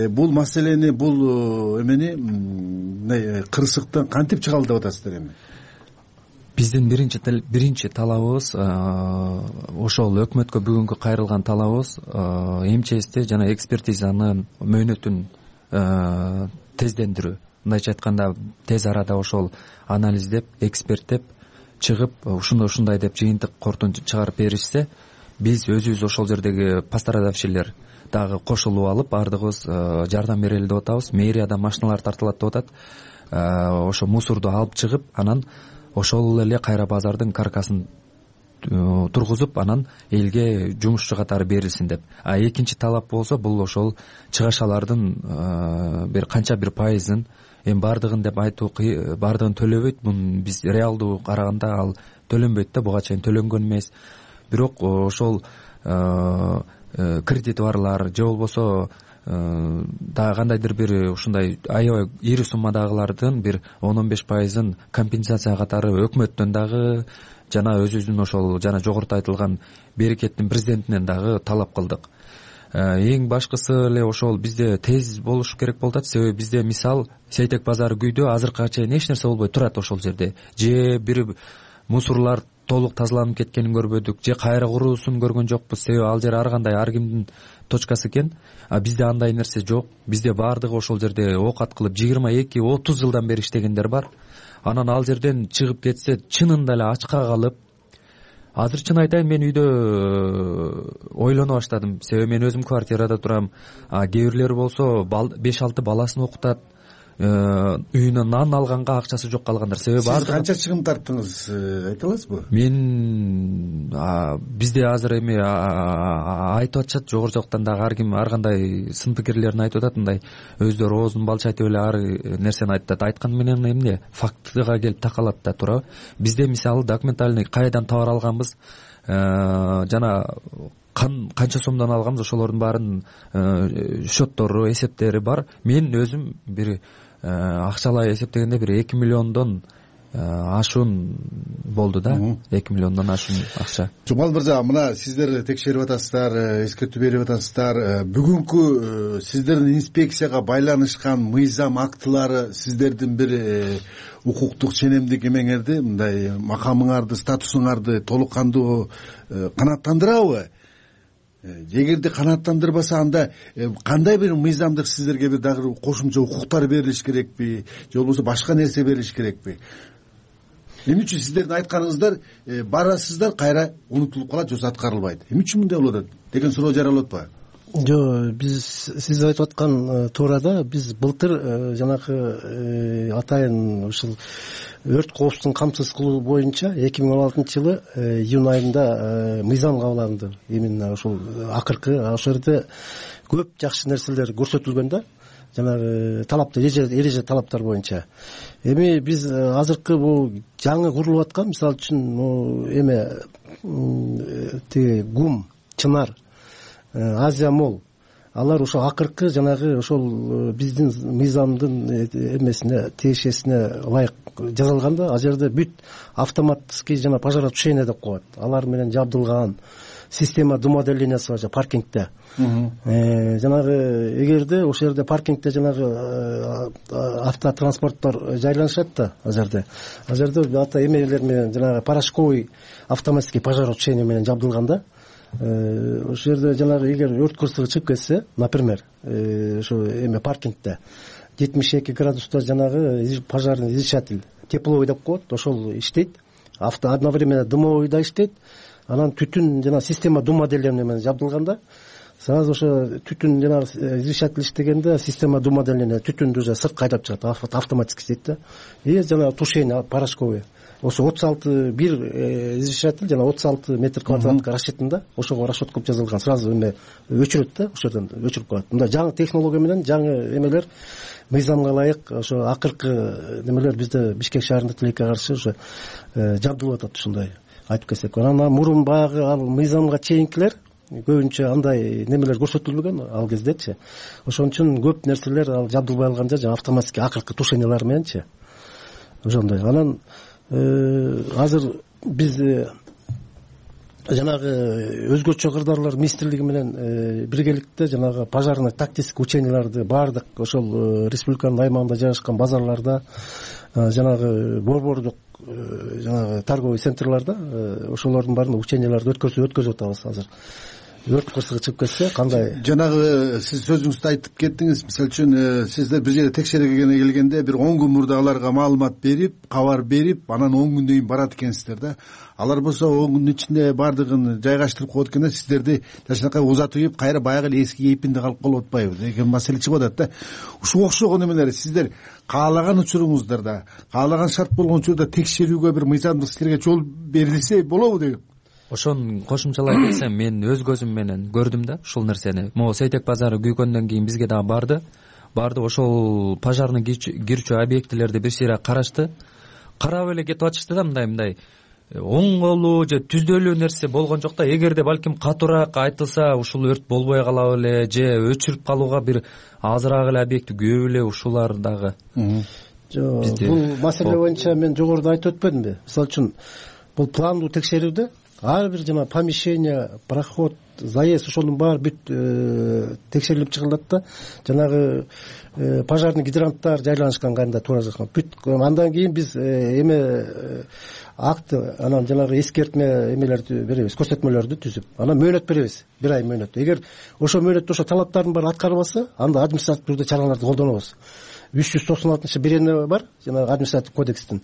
Бул маселени, бул эмени мындай кырсыктан кантип чыга алды деп атасыздар эми? Биздин биринчи биринчи талабыбыз ошол өкмөткө бүгүнкү кайрылган талабыбыз МЧСти жана экспертизанын мөөнөтүн тездендирүү. Мындайча айтканда тез арада ошол анализдеп, эксперттеп чыгып, ушундай ушундай деп жыйынтык кортун чыгарып беришсе, биз өзүбүз ошол жердеги пострадавшийлер дагы кошулуп алып, баардыгыбыз жардам берели деп атабыз. Мэриядан машиналар тартылат деп атат. Ошо мусорду алып чыгып, анан ошол эле кайра базардын каркасын тургузуп, анан элге жумушчу катары берилсин деп. А экинчи талап болсо, бул ошол чыгашалардын бир канча бир пайызын, эми баардыгын деп айтуу баардыгын төлөбөйт. Мун биз реалдуу караганда ал төлөнбөйт да, буга чейин төлөнгөн эмес. Бирок ошол кредит барлар же болбосо дагы кандайдыр бир ушундай аябай ири суммадагылардын бир он он беш пайызын компенсация катары өкмөттөн дагы жана өзүбүздүн ошол жана жогоруда айтылган берекеттин президентинен дагы талап кылдык. Эң башкысы эле ошол бизде тез болуш керек болуп атат. Себеби бизде мисал Сейтек базары күйдө азыркыга чейин эч нерсе болбой турат ошол жерде. Же бир мусорлар толук тазаланып кеткенин көрбөдүк, же кайра куруусун көргөн жокпуз. Себеби ал жер ар кандай ар кимдин точкасы экен. А бизде андай нерсе жок. Бизде баардыгы ошол жерде оокат кылып жыйырма эки отуз жылдан бери иштегендер бар. анан ал жерден чыгып кетсе чынында эле ачка калып, азыр чын айтайын, мен үйдө ойлоно баштадым. Себеби мен өзүм квартирада турам. Кээ бирлери болсо беш алты баласын окутат, үйүнө нан алганга акчасы жок калгандар. Себеби сиз канча чыгым тарттыңыз, айта аласызбы? Мен бизде азыр эми айтып атышат, жогору жактан дагы ар ким ар кандай сын пикирлерин айтып атат, мындай өздөрү оозун балчайтып эле ар нерсени айтат. Айткан менен эмне фактыга келип такалат да туурабы? Бизде мисалы документальный кайдан товар алганбыз, жана канча сомдон алганбыз, ошолордун баарын счеттору, эсептери бар. Мен өзүм бир акчалай эсептегенде бир эки миллиондон ашуун болду да, эки миллиондон ашуун акча. Жумал мырза, мына сиздер текшерип атасыздар, эскертүү берип атасыздар. Бүгүнкү сиздердин инспекцияга байланышкан мыйзам актылары сиздердин бир укуктук ченемдик эмеңерди, мындай макамыңарды, статусуңарды толук кандуу канааттандырабы? Эгерде канааттандырбаса, анда кандай бир мыйзамдык сиздерге бир дагы кошумча укуктар берилиш керекпи, же болбосо башка нерсе берилиш керекпи? Эмне үчүн сиздердин айтканыңыздар барасыздар, кайра унутулуп калат, же аткарылбайт? Эмне үчүн мындай болуп атат деген суроо жаралып атпайбы? Жок, биз сиз айтып аткан туура да, биз былтыр жанагы атайын ушул өрт коопсуздугун камсыз кылуу боюнча эки миң он алтынчы жылы июнь айында мыйзам кабыл алынды. Именно ушул акыркы ошол жерде көп жакшы нерселер көрсөтүлгөн да, жанагы талаптар, эреже талаптар боюнча. Эми биз азыркы бул жаңы курулуп аткан, мисалы үчүн эме тиги ГУМ, Чынар, Азия Мол, алар ошо акыркы жанагы ошол биздин мыйзамдын эмесине, тиешесине ылайык жазылган да. Ал жерде бүт автоматский жана пожаротушение деп коет. Алар менен жабдылган система думоделениясы бар паркингде. Жанагы эгерде ошол жерде паркингде жанагы автотранспорттор жайланышат да, ал жерде. Ал жерде ата эмелер менен жанагы порошковый автоматский пожаротушение менен жабдылган да. Ошол жерде жанагы эгер өрт кырсыгы чыгып кетсе, например, ошо эме паркингде жетимиш эки градуста жанагы пожарный излучатель, тепловой деп коет, ошол иштейт. Авто одновременно дымовой да иштейт. Анан түтүн жана система думоделения менен жабдылганда, сразу ошо түтүн жана излучатель иштегенде система думоделения түтүндү уже сыртка айдап чыгат, автоматически иштейт да. И жана тушение порошковый. Ошо отуз алты бир излучатель жана отуз алты метр квадратка расчетында ошого расчет кылып жазылган. Сразу эме өчүрөт да, ошол жерден өчүрүп коет. Мындай жаңы технология менен жаңы эмелер мыйзамга ылайык ошо акыркы немелер бизде Бишкек шаарында тилекке каршы ошо жабдылып атат ушундай айтып кетсек. Анан мурун баягы ал мыйзамга чейинкилер көбүнчө андай немелер көрсөтүлбөгөн ал кездечи. Ошон үчүн көп нерселер ал жабдылбай калганда жана автоматически акыркы тушениялар мененчи. Ошондой. Анан азыр биз жанагы өзгөчө кырдаалар министрлиги менен биргеликте жанагы пожарный тактический ученияларды баардык ошол республиканын аймагында жайгашкан базарларда, жанагы борбордук жанагы торговый центрларда ошолордун баарында ученияларды өткөрүп өткөзүп атабыз азыр. Өрт кырсыгы чыгып кетсе кандай? Жанагы сиз сөзүңүздө айтып кеттиңиз. Мисалы үчүн сиздер бир жерде текшергенге келгенде бир он күн мурда аларга маалымат берип, кабар берип, анан он күндөн кийин барат экенсиздер да. Алар болсо он күндүн ичинде баардыгын жайгаштырып коет экен да, сиздерди жашынакай узатып ийип, кайра баягы эле эски кейпинде калып калып атпайбы деген маселе чыгып атат да. Ушуга окшогон эмелер сиздер каалаган учуруңуздарда, каалаган шарт болгон учурда текшерүүгө бир мыйзамдык силерге жол берилсе болобу деген. Ошон кошумчалай кетсем, мен өз көзүм менен көрдүм да ушул нерсени. Могу Сейтек базары күйгөндөн кийин бизге дагы барды. Барды ошол пожарный кирчү объектилерди бир сыйра карашты. Карап эле кетип атышты да, мындай мындай оңголуу же түздөлүү нерсе болгон жок да. Эгерде балким катуураак айтылса, ушул өрт болбой калабы эле же өчүрүп калууга бир азыраак эле объект көп эле ушулар дагы. Жок, бул маселе боюнча мен жогоруда айтып өтпөдүмбү? Мисалы үчүн бул пландуу текшерүүдө ар бир жана помещение, проход, заезд ошонун баары бүт текшерилип чыгылат да. Жанагы пожарный гидранттар жайланышкан кайда туура жазган. Бүт андан кийин биз эме акт, анан жанагы эскертме эмелерди беребиз, көрсөтмөлөрдү түзүп. Анан мөөнөт беребиз, бир ай мөөнөт. Эгер ошо мөөнөттө ошо талаптардын баары аткарылбаса, анда административдүү чараларды колдонобуз. үч жүз токсон алтынчы берене бар жанагы административдик кодекстин.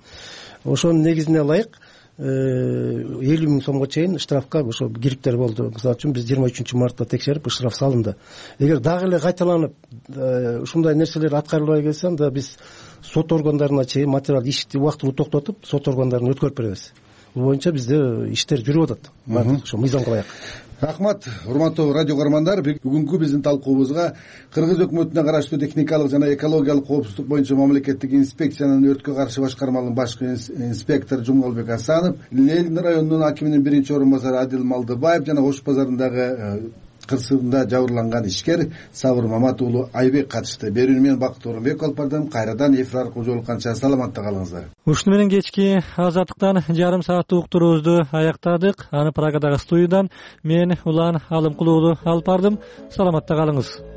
Ошонун негизине ылайык элүү миң сомго чейин штрафка ошо кириптер болду. Мисалы үчүн биз жыйырма үчүнчү мартта текшерип штраф салынды. Эгер дагы эле кайталанып ушундай нерселер аткарылбай келсе, анда биз сот органдарына чейин материал ишти убактылуу токтотуп, сот органдарына өткөрүп беребиз. Бул боюнча бизде иштер жүрүп атат. Ошо мыйзамга ылайык. Рахмат, урматтуу радио көрөрмандар. Бүгүнкү биздин талкуубузга Кыргыз өкмөтүнө караштуу техникалык жана экологиялык коопсуздук боюнча мамлекеттик инспекциянын өрткө каршы башкармалыгынын башкы инспектору Жумгалбек Асанов, Ленин районунун акиминин биринчи орун басары Адил Малдыбаев жана Ош базарындагы кырсыгында жабырланган ишкер Сабыр Мамат уулу Айбек катышты. Берүүнү мен Бакыт Орунбек алып бардым. Кайрадан эфир аркылуу жолукканча саламатта калыңыздар. Ушуну менен кечки азаттыктан жарым сааттык уктуруубузду аяктадык. Аны Прагадагы студиядан мен Улан Алымкулуу алып бардым. Саламатта калыңыз.